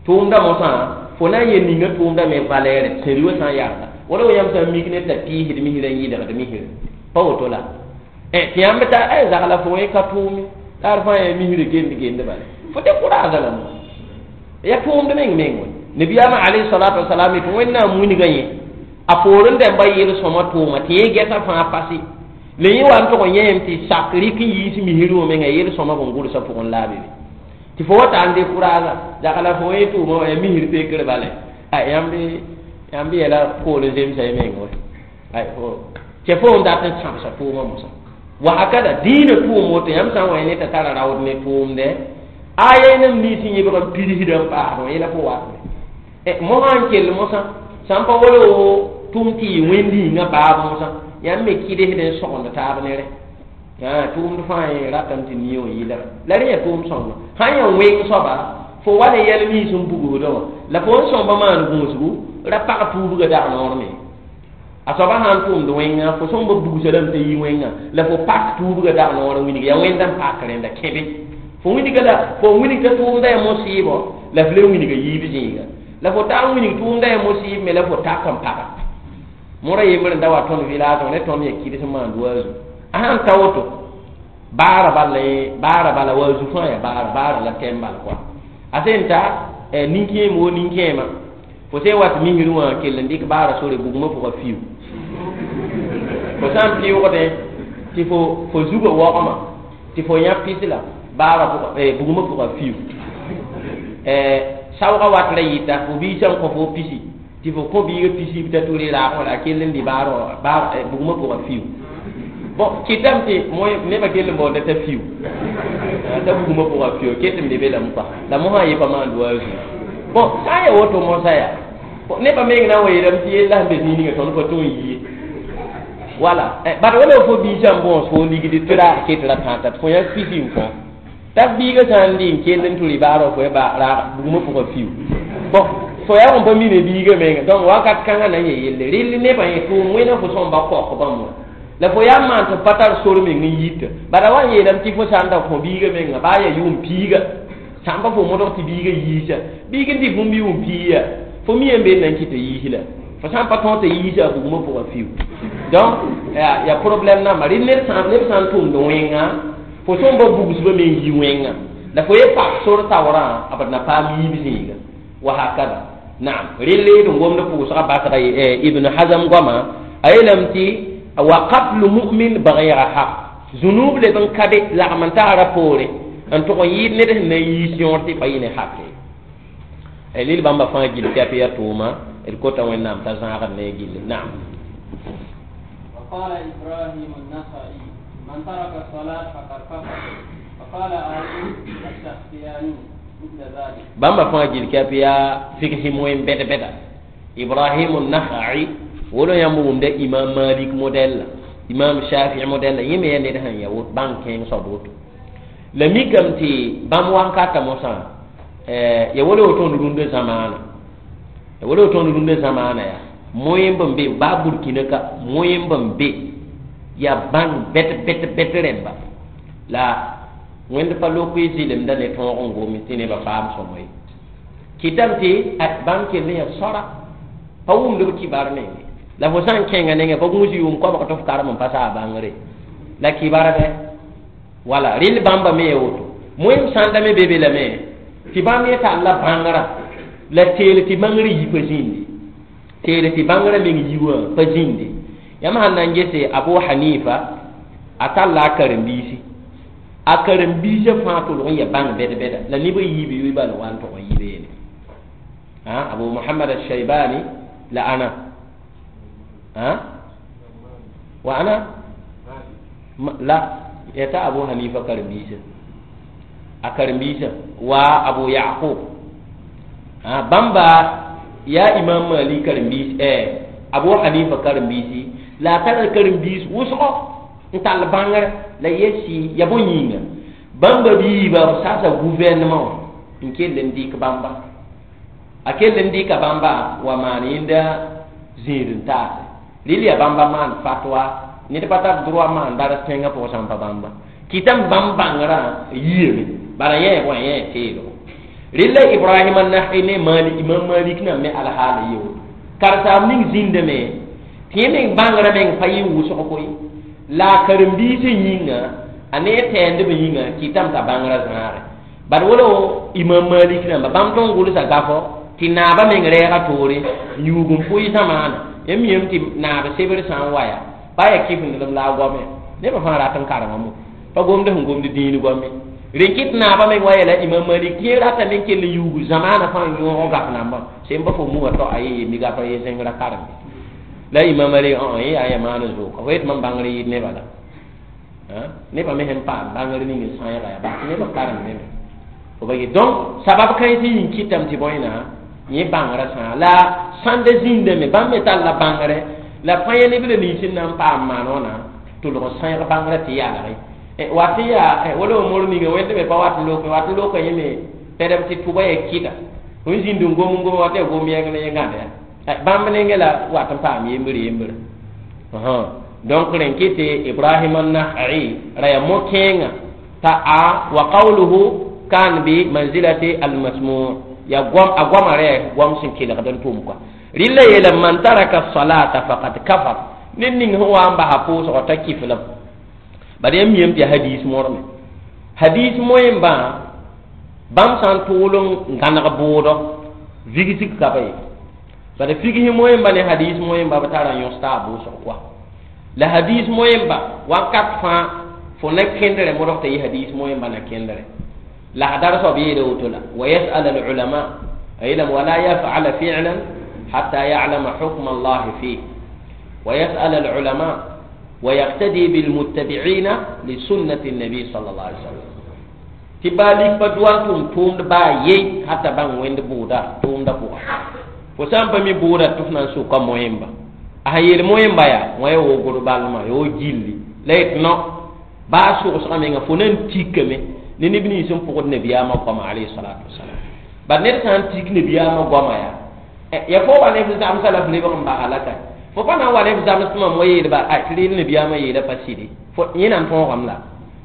tʋʋmda mosã fo na n yel ninga tʋʋmda me valɛɛrɛ sẽri wã sã n yarda wala wa yãmb sã n mik ne t'a piisd misrã n yɩlgd misrã pa woto la tɩ yãmb t'a zagla fo wẽ ka tʋʋme la d fãa yaa misrã gend gend bala fo tɩ kʋraasa la mo ya tʋʋmd meng meng wã nabiyaamã alayhi salatu wasalam tɩ wẽnnaam wilga yẽ a poor n dãmba yel-sõma tʋʋma tɩ yẽ gɛsa fãa pase la yẽ wa n tʋg n yẽem tɩ sak rɩk n yiis misr wã menga yel-sõma bõn gʋlsã pʋgẽ la a be tɩ fo wa ta n décourage zagla fo yẽ tʋʋma wã yaa misr pekr bala yãmb yɛla poor n zemsa y meng wã tɩ fo n dat n sãbsa tʋʋma mosã wa hakada dĩinã tʋʋm woto yãmb sã n wa yẽ ne t'a tara raood ne tʋʋmdɛ aya nem nins n yẽbg n pidsdã n paasd wã yẽla fo watme mosã n kell mosã sã n pa wala tʋm tɩ yɩ wẽnd-yĩngã baab mosã yãmb me kɩdsd n sõgend taab ne rẽ tʋʋmd fãa yẽ ratame tɩ nie wã yɩlga la rẽ yaa tʋʋm sõngo sã n yaa weng soaba fo wa ne yɛl nins n bugsdã wã la fo n sõmba maan gũusgu ra pag tuubgã dag noor me a soaba sã n tʋmd wẽnga fo sõmba bugsa rãmb t'a yi wẽnga la fo pak tuubgã dag noor n wilg yaa wẽnda n pak rẽnda kẽbe fo wilga la fo wilg t'a tʋʋmda yaa mosɩɩbɔ la f le wilga yiib zĩiga la fo taa n wilg tʋʋmda yaa mosɩɩb me la fo tak n paga mora yembr n da wa tõnd village wã ne tõnd yaa kɩds n maand waazu a sãn ta woto baara bala baara bala waazu fãa yaa baara baara la tɛm bal kɔa a sẽn ta nin-kẽem wo nin-kẽema fo sẽn wat misr wã kell n dɩk baara sore bugmã pʋga fiu fo sã n pɩʋgdẽ tɩ fo zugã waoogmã tɩ fo yã pis la baara bugmã pʋga fiu saoogã wat ra yɩta fo biisã n kõ fo pisi tɩ fo kõ biigã pisi t'a tʋ raag wã la a kell n dɩ baara bugmã pʋga fiu bon kɩtame tɩ nebã kell n baoonda t'a fiu t'a bugmã pʋga fiu ketame le be lame kɔa la mosã yẽ pa maand waazu bon sã n yaa woto mosã yaa nebã meng na n wa yeelame tɩ yella sẽn be zĩig ninga tõnd pa tõe n yie wala bad wala fo biisã n bõos fo ligd tɩ raag ket ra tãata tɩ fo yã pisi n kõ t'a biigã sã n dɩ n kell n tʋ rɩ baarã fo raag bugmã pʋga fiu bon fo yaa n pa mi ne biigã menga donc wakat kãngã na n yẽ yelle rɩl nebã yẽ tʋʋm wẽna fo sõmba kaok bãmb wã La fo yaa n maan tɩ pa tar sor meng n yita. Bala wa n yeelame tɩ fo sã n da kõ biigã menga baa yaa yʋʋm piiga, sã n pa fo modg tɩ biigã yiisa, biig n dɩ bũmb yʋʋm piig ya, fo mi n be n na n kɩt tɩ yiis la. Fo sã n pa tõog tɩ yiisa a bugmã pʋgã fiu. Donc yaa problème namba. Rɩ ned sã neb sã n tʋmd wẽnga, fo sõm ba bugsbã me n yi wẽnga. La fo ye pak sor taoorã, b na paam yiib zĩiga. Wa hakada. Naam, rɩ d n gomd pʋʋsgã basga Ibn Hazm goama, a yeelame tɩ wa qatlu mu'min bighayri haq. Zunub leb n ka be lagm n tagra poore n tʋg n yɩɩd ned sẽn na n yiis yõor tɩ pa yɩ ne hake. Lil bãmba fãa gill tɩ yaa tʋʋma, d kota Wẽnnaam t'a zãagd ne gilli. Naam. وقال إبراهيم النخعي من ترك الصلاة فقد كفر. وقال أيوب السختياني مثل ذلك. Bãmba fãa gill tɩ yaa figsɩ moyen bɛd bɛda. Ibrahim النخعي wolo yãmb wʋmda Imam Malik modɛl, Imam Shafi modɛl, yẽ me yaa ned sẽn ya woto bãng kẽeng soab woto. La mikame tɩ bãmb wankata mosã ya wolo tõnd rũndã zamaana, ya wolo tõnd rũndã zamaana yaa moyen n be baa Burkina ka moyen n be yaa bãng bɛt bɛt bɛt rẽmba la Wẽnd pa lok y zɩlemda ne tõog n gome tɩ nebã paam sõmo ye. Kɩtame tɩ bãmb kell n yaa sõra pa wʋmd b kibar menge. La fo sã n kẽnga nengẽ pa gũus yʋʋm koabg tɩ f karem n pa saa bãngre la kibar bɛ wala rɩl bãmba me ya woto moem sãnda me be be lame tɩ bãmb yẽ tall la bãngrã la teel tɩ bãngr yi pa zĩndi, teel tɩ bãngrã meng yi wã pa zĩndi. Yãmb sãn na n gese Abu Hanifa, a talla a karen-biisi, a karen-biisã fãa tʋlg n ya bãng bɛd-bɛda la neb n yiib yoe bala wa n tʋg n yi beene. Abu Muhammad al-Shaybani la ana wa ana la yata Abu Hanifa karen-biisã, a karen-biisã wa Abu Yaqub, bãmba yaa Imam Malik karen-biis, Abu Hanifa karen-biisi la a tara karen-biis wʋsgo n tall bãngre la yɛsi ya bõe yĩnga bãmba biiba b sasa gouvernement n kell n dɩk bãmba, a kell n dɩka bãmba wa maan yẽnda zĩig n taase. Rɩl yaa bãmba maan fatwa, ned pa tar droit maan daras tẽngã pʋgã sã n pa bãmba kɩtame bãmb bãngrã yiame bala yẽ wã yẽ teelgo. Rɩl la Ibrahim an-Nahi ne Malik, Imam Malik na me alhaala ye woto karsaam ning zĩndame tɩ yẽ meng bãngrã meng pa yɩ wʋsg koe la a karen-biisã yĩnga a ne tɛɛndb yĩnga kɩtame t'a bãngrã zãage. Bad wolo Imam Malik rãmba bãmb tõn gʋlsa gafɔ tɩ naabã meng rɛɛga toore n yuug n pʋɩ zamaana. Yãmb miame tɩ naab sebr sã n wa yaa pa yaa kɩfendlem la a goame nebã fãa rat n karema mo pa gomd sẽn gomd dĩin goame rẽn kɩt naabã meng wa yeela Imam Malik tɩ yẽ ratame n kell n yuug zamaana fãa n yõog gaf nambã sem pa fo muwã tao a ye mi gafa ye zẽngrã karem la Imam Malik yẽ yaa ya maan zʋʋka fo yet mam bãngr yɩɩd nebã la nebã me sẽn paam bãngr ning n sãeega yaa bas nebã karem neme fo ba donc sabab kãens yĩng kɩtame tɩ bõe na yẽ bãngrã sã la sãnda zĩndame bãmb me talla bãngre la fãa ya neb la nins n na n paam maan wãna tʋlg n sãeg bãngrã tɩ yalge wat n yaa wala mor ninga wẽnd me pa wat n lok wat n loka yẽ me pɛdb tɩ tʋba ya kɩda n zĩnd n gom n gom wat yaa gom yɛng ne yẽ gãnd ya bãmb nengẽ la wat n paam yembre yembre. Donc rẽn kɩ tɩ Ibrahim an-Nakhai ra yaa mo-kẽengã t'a a wa qawluhu kan bi manzilati al-masmu' ya goam a goamã rɛ goam sẽn kelgd n tʋm kɔa. Rɩla yeela man taraka salata faqad kafar ned ning sẽn wa n basa pʋʋsgɔ t'a kiflem bad yãmb miame tɩ hadis morme hadis moẽmbã bãmb sã n tʋʋl n gãneg bʋʋdɔ vigsg ka ba ye bad figsɩ moẽmba ne hadis moẽmba b tara yõs taa bʋʋsg koa la hadis moẽmba wakat fãa fo na kẽndrẽ modg t'a yɩ hadis moẽmba na kẽndrẽ la hadar soab yeela woto la wa yasal al-ulama a yeelame wala yafala fi'lan hatta ya'lama hukm Allah fih wa yasal al-ulama wa yaqtadi bil-muttabi'ina li sunnati an-nabi sallallahu alaihi wasallam tɩ baa lik pa doa n tʋm tʋʋmd baa ye hata bãng wẽnd bʋʋda tʋʋmdã pʋga fo sã n pa mi bʋʋda tɩ f na n soka moẽmba a sẽn yeel moẽmba yaa wã ya wogr balmã ya wo gilli la yet no baa sogsgã menga fo na n tikame ne neb nins n pʋgd nabiyaamã goama alayhi salatu wasalam bad ned sã n tik nabiyaamã goama yaa ya fo wa ne f zamsa la f lebg n basa la ka Fo pa na n wa ne f zams tɩ mam wa yeelba a tɩ rɩl nabiyaamã yeela pa sɩde fo yẽ na n tõogame la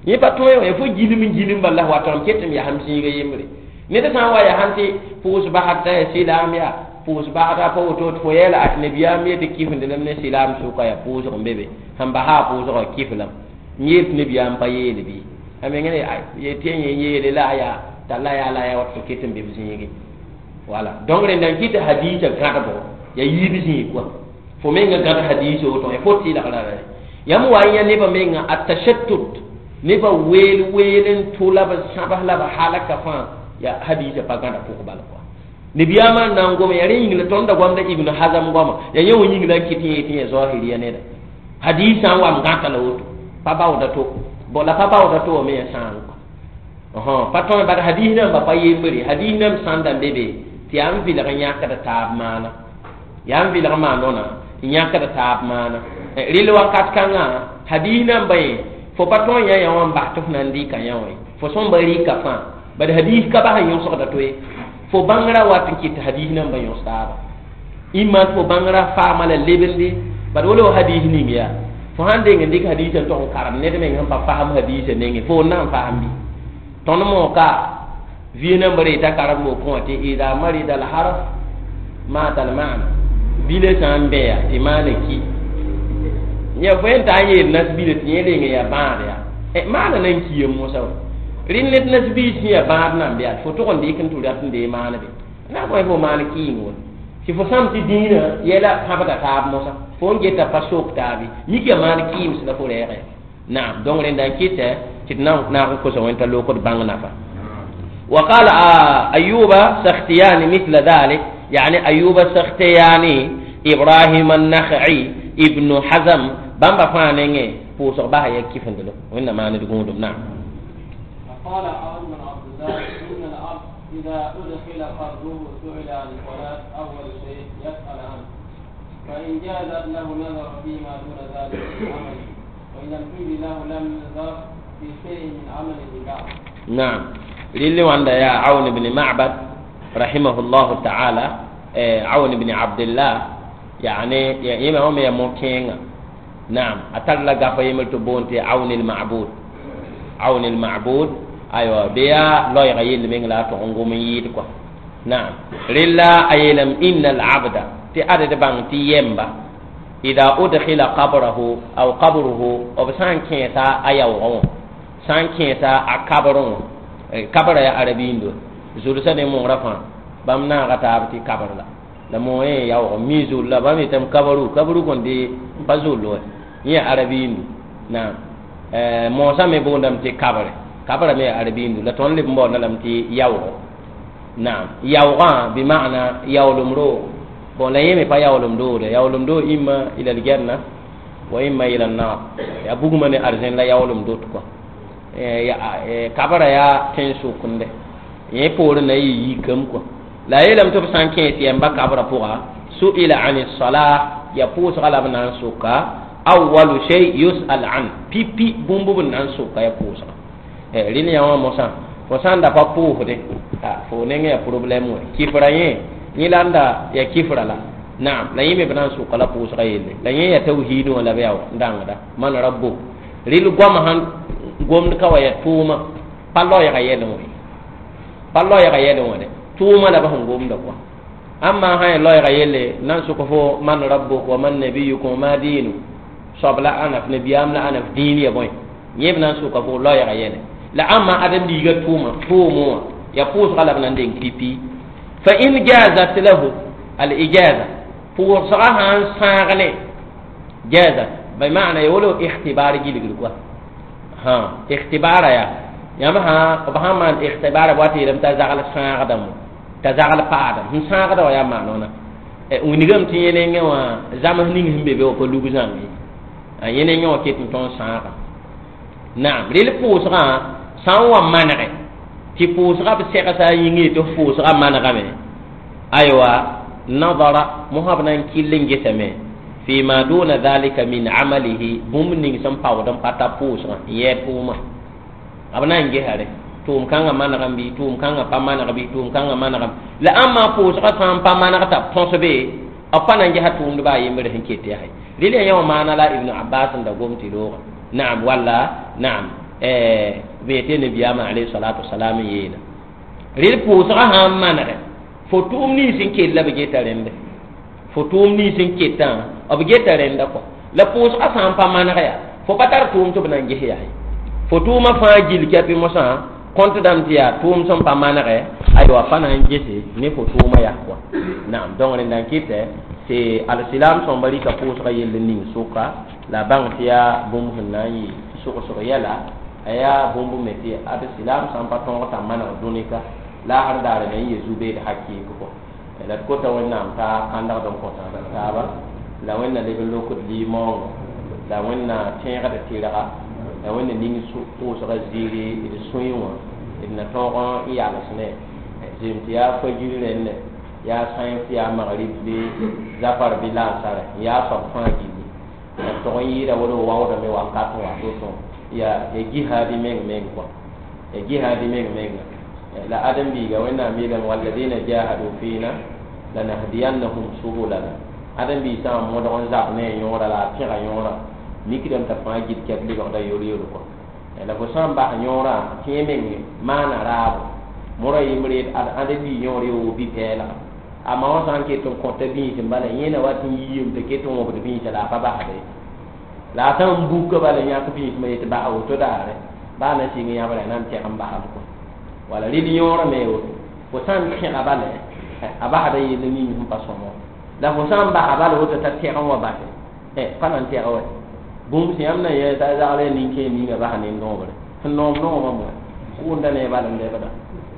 yẽ pa tõe wã fo gilem n gilem bala la watame ket m yasem zĩiga yembre ned sã n wa yasẽn tɩ pʋʋs basd t'a yaa sɩlaam yaa pʋʋs basda pa woto tɩ fo yɛɛla a nabiyaam yetɩ kifendelem ne sɩlaam sʋka yaa pʋʋsg n be be sẽn basa a pʋʋsgã kiflame n yeel tɩ nabiyaam pa yeele bɩ a meng tɩ yẽ yeele la a yaa t'a la yaa la yaa wat fo ket n be b zĩige wala donc rẽnda n kɩt hadiisã gãdbo yaa yiib zĩig kɔa fo menga gãd hadiisã woto fo tɩlgra yãmb wa n yã nebã menga a tashattut nebã weel weel n tʋ la b sãbs la b halaka fãa ya hadiisã pa gãda pʋg bal kɔa nabiyaamã n na n gome yaa rẽ yĩng la tõnd da goamda Ibn Hazm goama yaa yẽ wã yĩng la n kɩt yẽ tɩ yẽ zahiriya neda hadiisã n wa m gãta la woto pa baooda to bon la pa baooda to wã me yaa sãang kɔa pa tõe bad hadiis namba pa yembre hadiis nam sãnda n be be tɩ yaa n vɩlg n yãkd taab maana yaa n vɩlg maanona n yãkd taab maana rɩl wakat kãngã hadiis namba yẽ fo pa tõe n yã yã wã n bas tɩ f na n dɩka yã wã fo sõmba rɩka fãa bad hadiis ka bas n yõsgda to ye fo bãngrã wat n kɩt hadiis namba yõs taaba imma tɩ fo bãngrã faama la lebende bad wala hadiis ning yaa fo sãn deng n dɩk hadiisã n tog n karem ned meng sẽn pa fasem hadiisã nengẽ fo n na n fasem bɩ tõnd mooka vie namba reeta karem mokẽ wã tɩ ida marida al harf mata al maana bila sã n bẽa tɩ maana ki ya fo yẽn t'a n yeel nas-bila tɩ yẽ reng yaa bãad yaa maana na n kiame mosã wa rẽnd ned nas-biis sẽn yaa bãad nan bɩa fo tog n dɩk n tʋ rat n dee maan be na n fo maan kɩɩng wa tɩ fo sãm tɩ dĩinã yɛla pãbda taab mosã fo n geta pa sok taabe mik yaa maan kɩɩms la fo rɛɛgɛ naam donc rẽnda n kɩtɛ tɩ d naag n kosa wẽn t'a lokd bãng nafa وقال أيوب سختياني مثل ذلك يعني أيوب السختياني إبراهيم النخعي ابن حزم بامبا فانينغي بوسو باها يكيفندلو وإن ما ندقون نعم. وقال عون بن عبد الله إن العبد إذا أدخل قبره سئل عن الصلاة أول شيء يسأل عنه فإن جازت له نظر فيما دون ذلك من عمله وإن لم تجد له لم ينظر في شيء من عمله بعد. نعم. للي وعند يا عون بن معبد رحمه الله تعالى عون بن عبد الله يعني يا إمام يا موكين نعم أتلا غفا يملت بونتي عون المعبود عون المعبود أيوة بيا لا يغير من لا تغنغو من يدكوا نعم لله أيلم إن العبد تأرد بان تيمبا إذا أدخل قبره أو قبره أو سان كيسا أيوه سان كيسا أكبره kabra ya arabindo zursa ne mo rafa bam na ga ta ti kabra la la mo e ya o mi zul la bam itam kabaru kabaru kon de bazul ya arabindo na mo sa me bondam ti kabra kabra me arabindo la ton le mbo na lam ti yawo na yawga bi maana yawlum ro bon la yeme pa yawlum do de yawlum do imma ila al janna wa imma ila an-nar ya buguma ne arzen la yawlum do to ko ya kabara ya tẽn sʋkende yẽ poorẽ na yɩ yikame kɔ la a yeelame tɩ b sã n kẽes yɛmba kabra pʋga su'ila an salah ya pʋʋsga la b na n soka awalu shay yus'al an pipi bũmb b na n soka ya pʋʋsga rẽnd yã wã mosã fo sã n da pa pʋʋsde fo neng ya problɛm wɛ kifra yẽ yẽ la n da ya kifra la naam la yẽ me b na n soka la pʋʋsga yelle la yẽ ya tawhiid wã la b yaa n dãngda man rabbuk rɩl goam sãn gomd ka wa ya tʋʋma pa loɛɛga yɛlẽ wã pa loɛɛga yɛlẽ wã dɛ tʋʋma la b sẽn gomda kɔa amma sã ya loɛɛga yelle na n sʋk fo man rabbuk wa man nabiyukum wa ma diinu soab la ãna f nabiyaam la ãna f dĩin ya bõe yẽ b na n sʋka fo loɛɛga yɛlẽ la ãmma ãdem-biigã tʋʋma tʋʋmẽ wã ya pʋʋsga la b na n deng pipi fa in jazat lahu al ijaza pʋʋsga sã n sãag ne jazat bi maana ya wolo ikhtibar gilgr kɔa ha ikhtibara ya yãmb sã b sã n maan ikhtibara wa tɩ yeelame t'a zagl sãagdame t'a zagl paadame sẽn sãagda wã yaa maanona wilgame tɩ yẽ nengẽ wã zams ning sẽn be be wã pa lug zãng ye a yẽ nengẽ wã ket n tõnd sãaga naam rel pʋʋsgã sã n wa manege tɩ pʋʋsga b segsa a yĩngẽ tɩ f pʋʋsga manegame aywa nadara mosã b na n kɩll n gesame فيما دون ذلك من عمله بوم ning sẽn paood n pa ta pʋʋsgã n yɛɛ tʋʋma b na n gesare tʋʋm kãngã manegame bɩ tʋʋm kãngã pa maneg bɩ tʋʋm kãngã manegame la ãmba pʋʋsgã sã n pa maneg t'a b tõs be B pa na n gesa tʋʋmdbã a yembre sẽn ket yaa rɩl ya yã wã maana la Ibn Abbas n da gom tɩ rooga naam walla naam b yetɩ nabiyaamã alayhi salatu wasalam n yeela rɩl pʋʋsgã sã n manegɛ fo tʋʋm nins n kell la b geta rẽnde fo tʋʋm nins n ketã b geta rẽnda kɔ la pʋʋsgã sã n pa maneg yaa fo pa tar tʋʋm tɩ b na n ges yaa ye fo tʋʋmã fãa gill kɛpɩ mosã kõnt dãmb tɩ yaa tʋʋm sẽn pa manegɛ aywa pa na n gese ne fo tʋʋmã yaa kɔa naam donc rẽnda n kɩtɛ tɩ alsilam sõmba rɩka pʋʋsgã yell n ning sʋka la a bãng tɩ yaa bũmb sẽn na n yɩ sogsg yɛla a yaa bũmb me tɩ alsilam sã n pa tõog t'a maneg dũnika laasr daare na n yɩ zu-beed hakɩɩk kɔ la d kota Wẽnnaam t'a kãndgd n kõ taaba la Wẽnna leb n lokd limaoongo la Wẽnna tẽegd tɩrga la Wẽnna ning pʋʋsga ziiri d sũyẽ wã d na tõog n yals ne zem tɩ yaa fajir rẽndẽ yaa sãens yaa magrib bɩ zafar bɩ lansarɛ n yaa soab fãa gilli la d tog n yɩɩda wala waoodame wakat n wa to-to yaa ya jihaadi meng meng kɔa ya jihaadi meng menga la ãdem-biiga Wẽnnaam yeelame walladina jahadu fina lanahdiyannahum subulana ãdem-biig sã n modg n zab ne a yõora la a pẽga yõora mikdame t'a fãa gil kɛp lebgda yor-yor kɔa la fo sã n bas yõorã tẽ meng maana raabo mora yembre ad ãdem-biig yõor ye woo bi-pɛɛlga amma wã sã n ket n kõta bĩis n bala yẽna wat n yiime t'a ket n wõbd bĩisã la a pa basde la a sã n buka bala yãk bĩismã yetɩ basa woto daare baa na sɩng yãbra na n tɛg n basame kɔ wala rɩl yõorã me woto fo sã n tẽga bala a basda yell ning sẽn pa sõma la fo sã n basa bala woto t'a tɛg n wa base pa na n tɛg wa bũmb sẽn yãmb na yẽ t'a zagl ya nin-kẽer ninga basa nin-noogre sẽn noom noomã moa kʋʋnda ne bala n lebda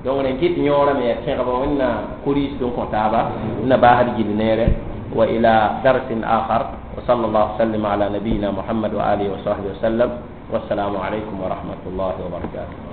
donc rẽn kɩt yõorã me yaa tẽgba Wẽnna kuriisd n kõ taaba na baasd gill neere wa ila darsin akhar wa sallallahu sallam ala nabiyina Muhammad wa alihi wa sahbihi wa sallam. Wassalamu alaikum wa rahmatullahi wa barakatuh.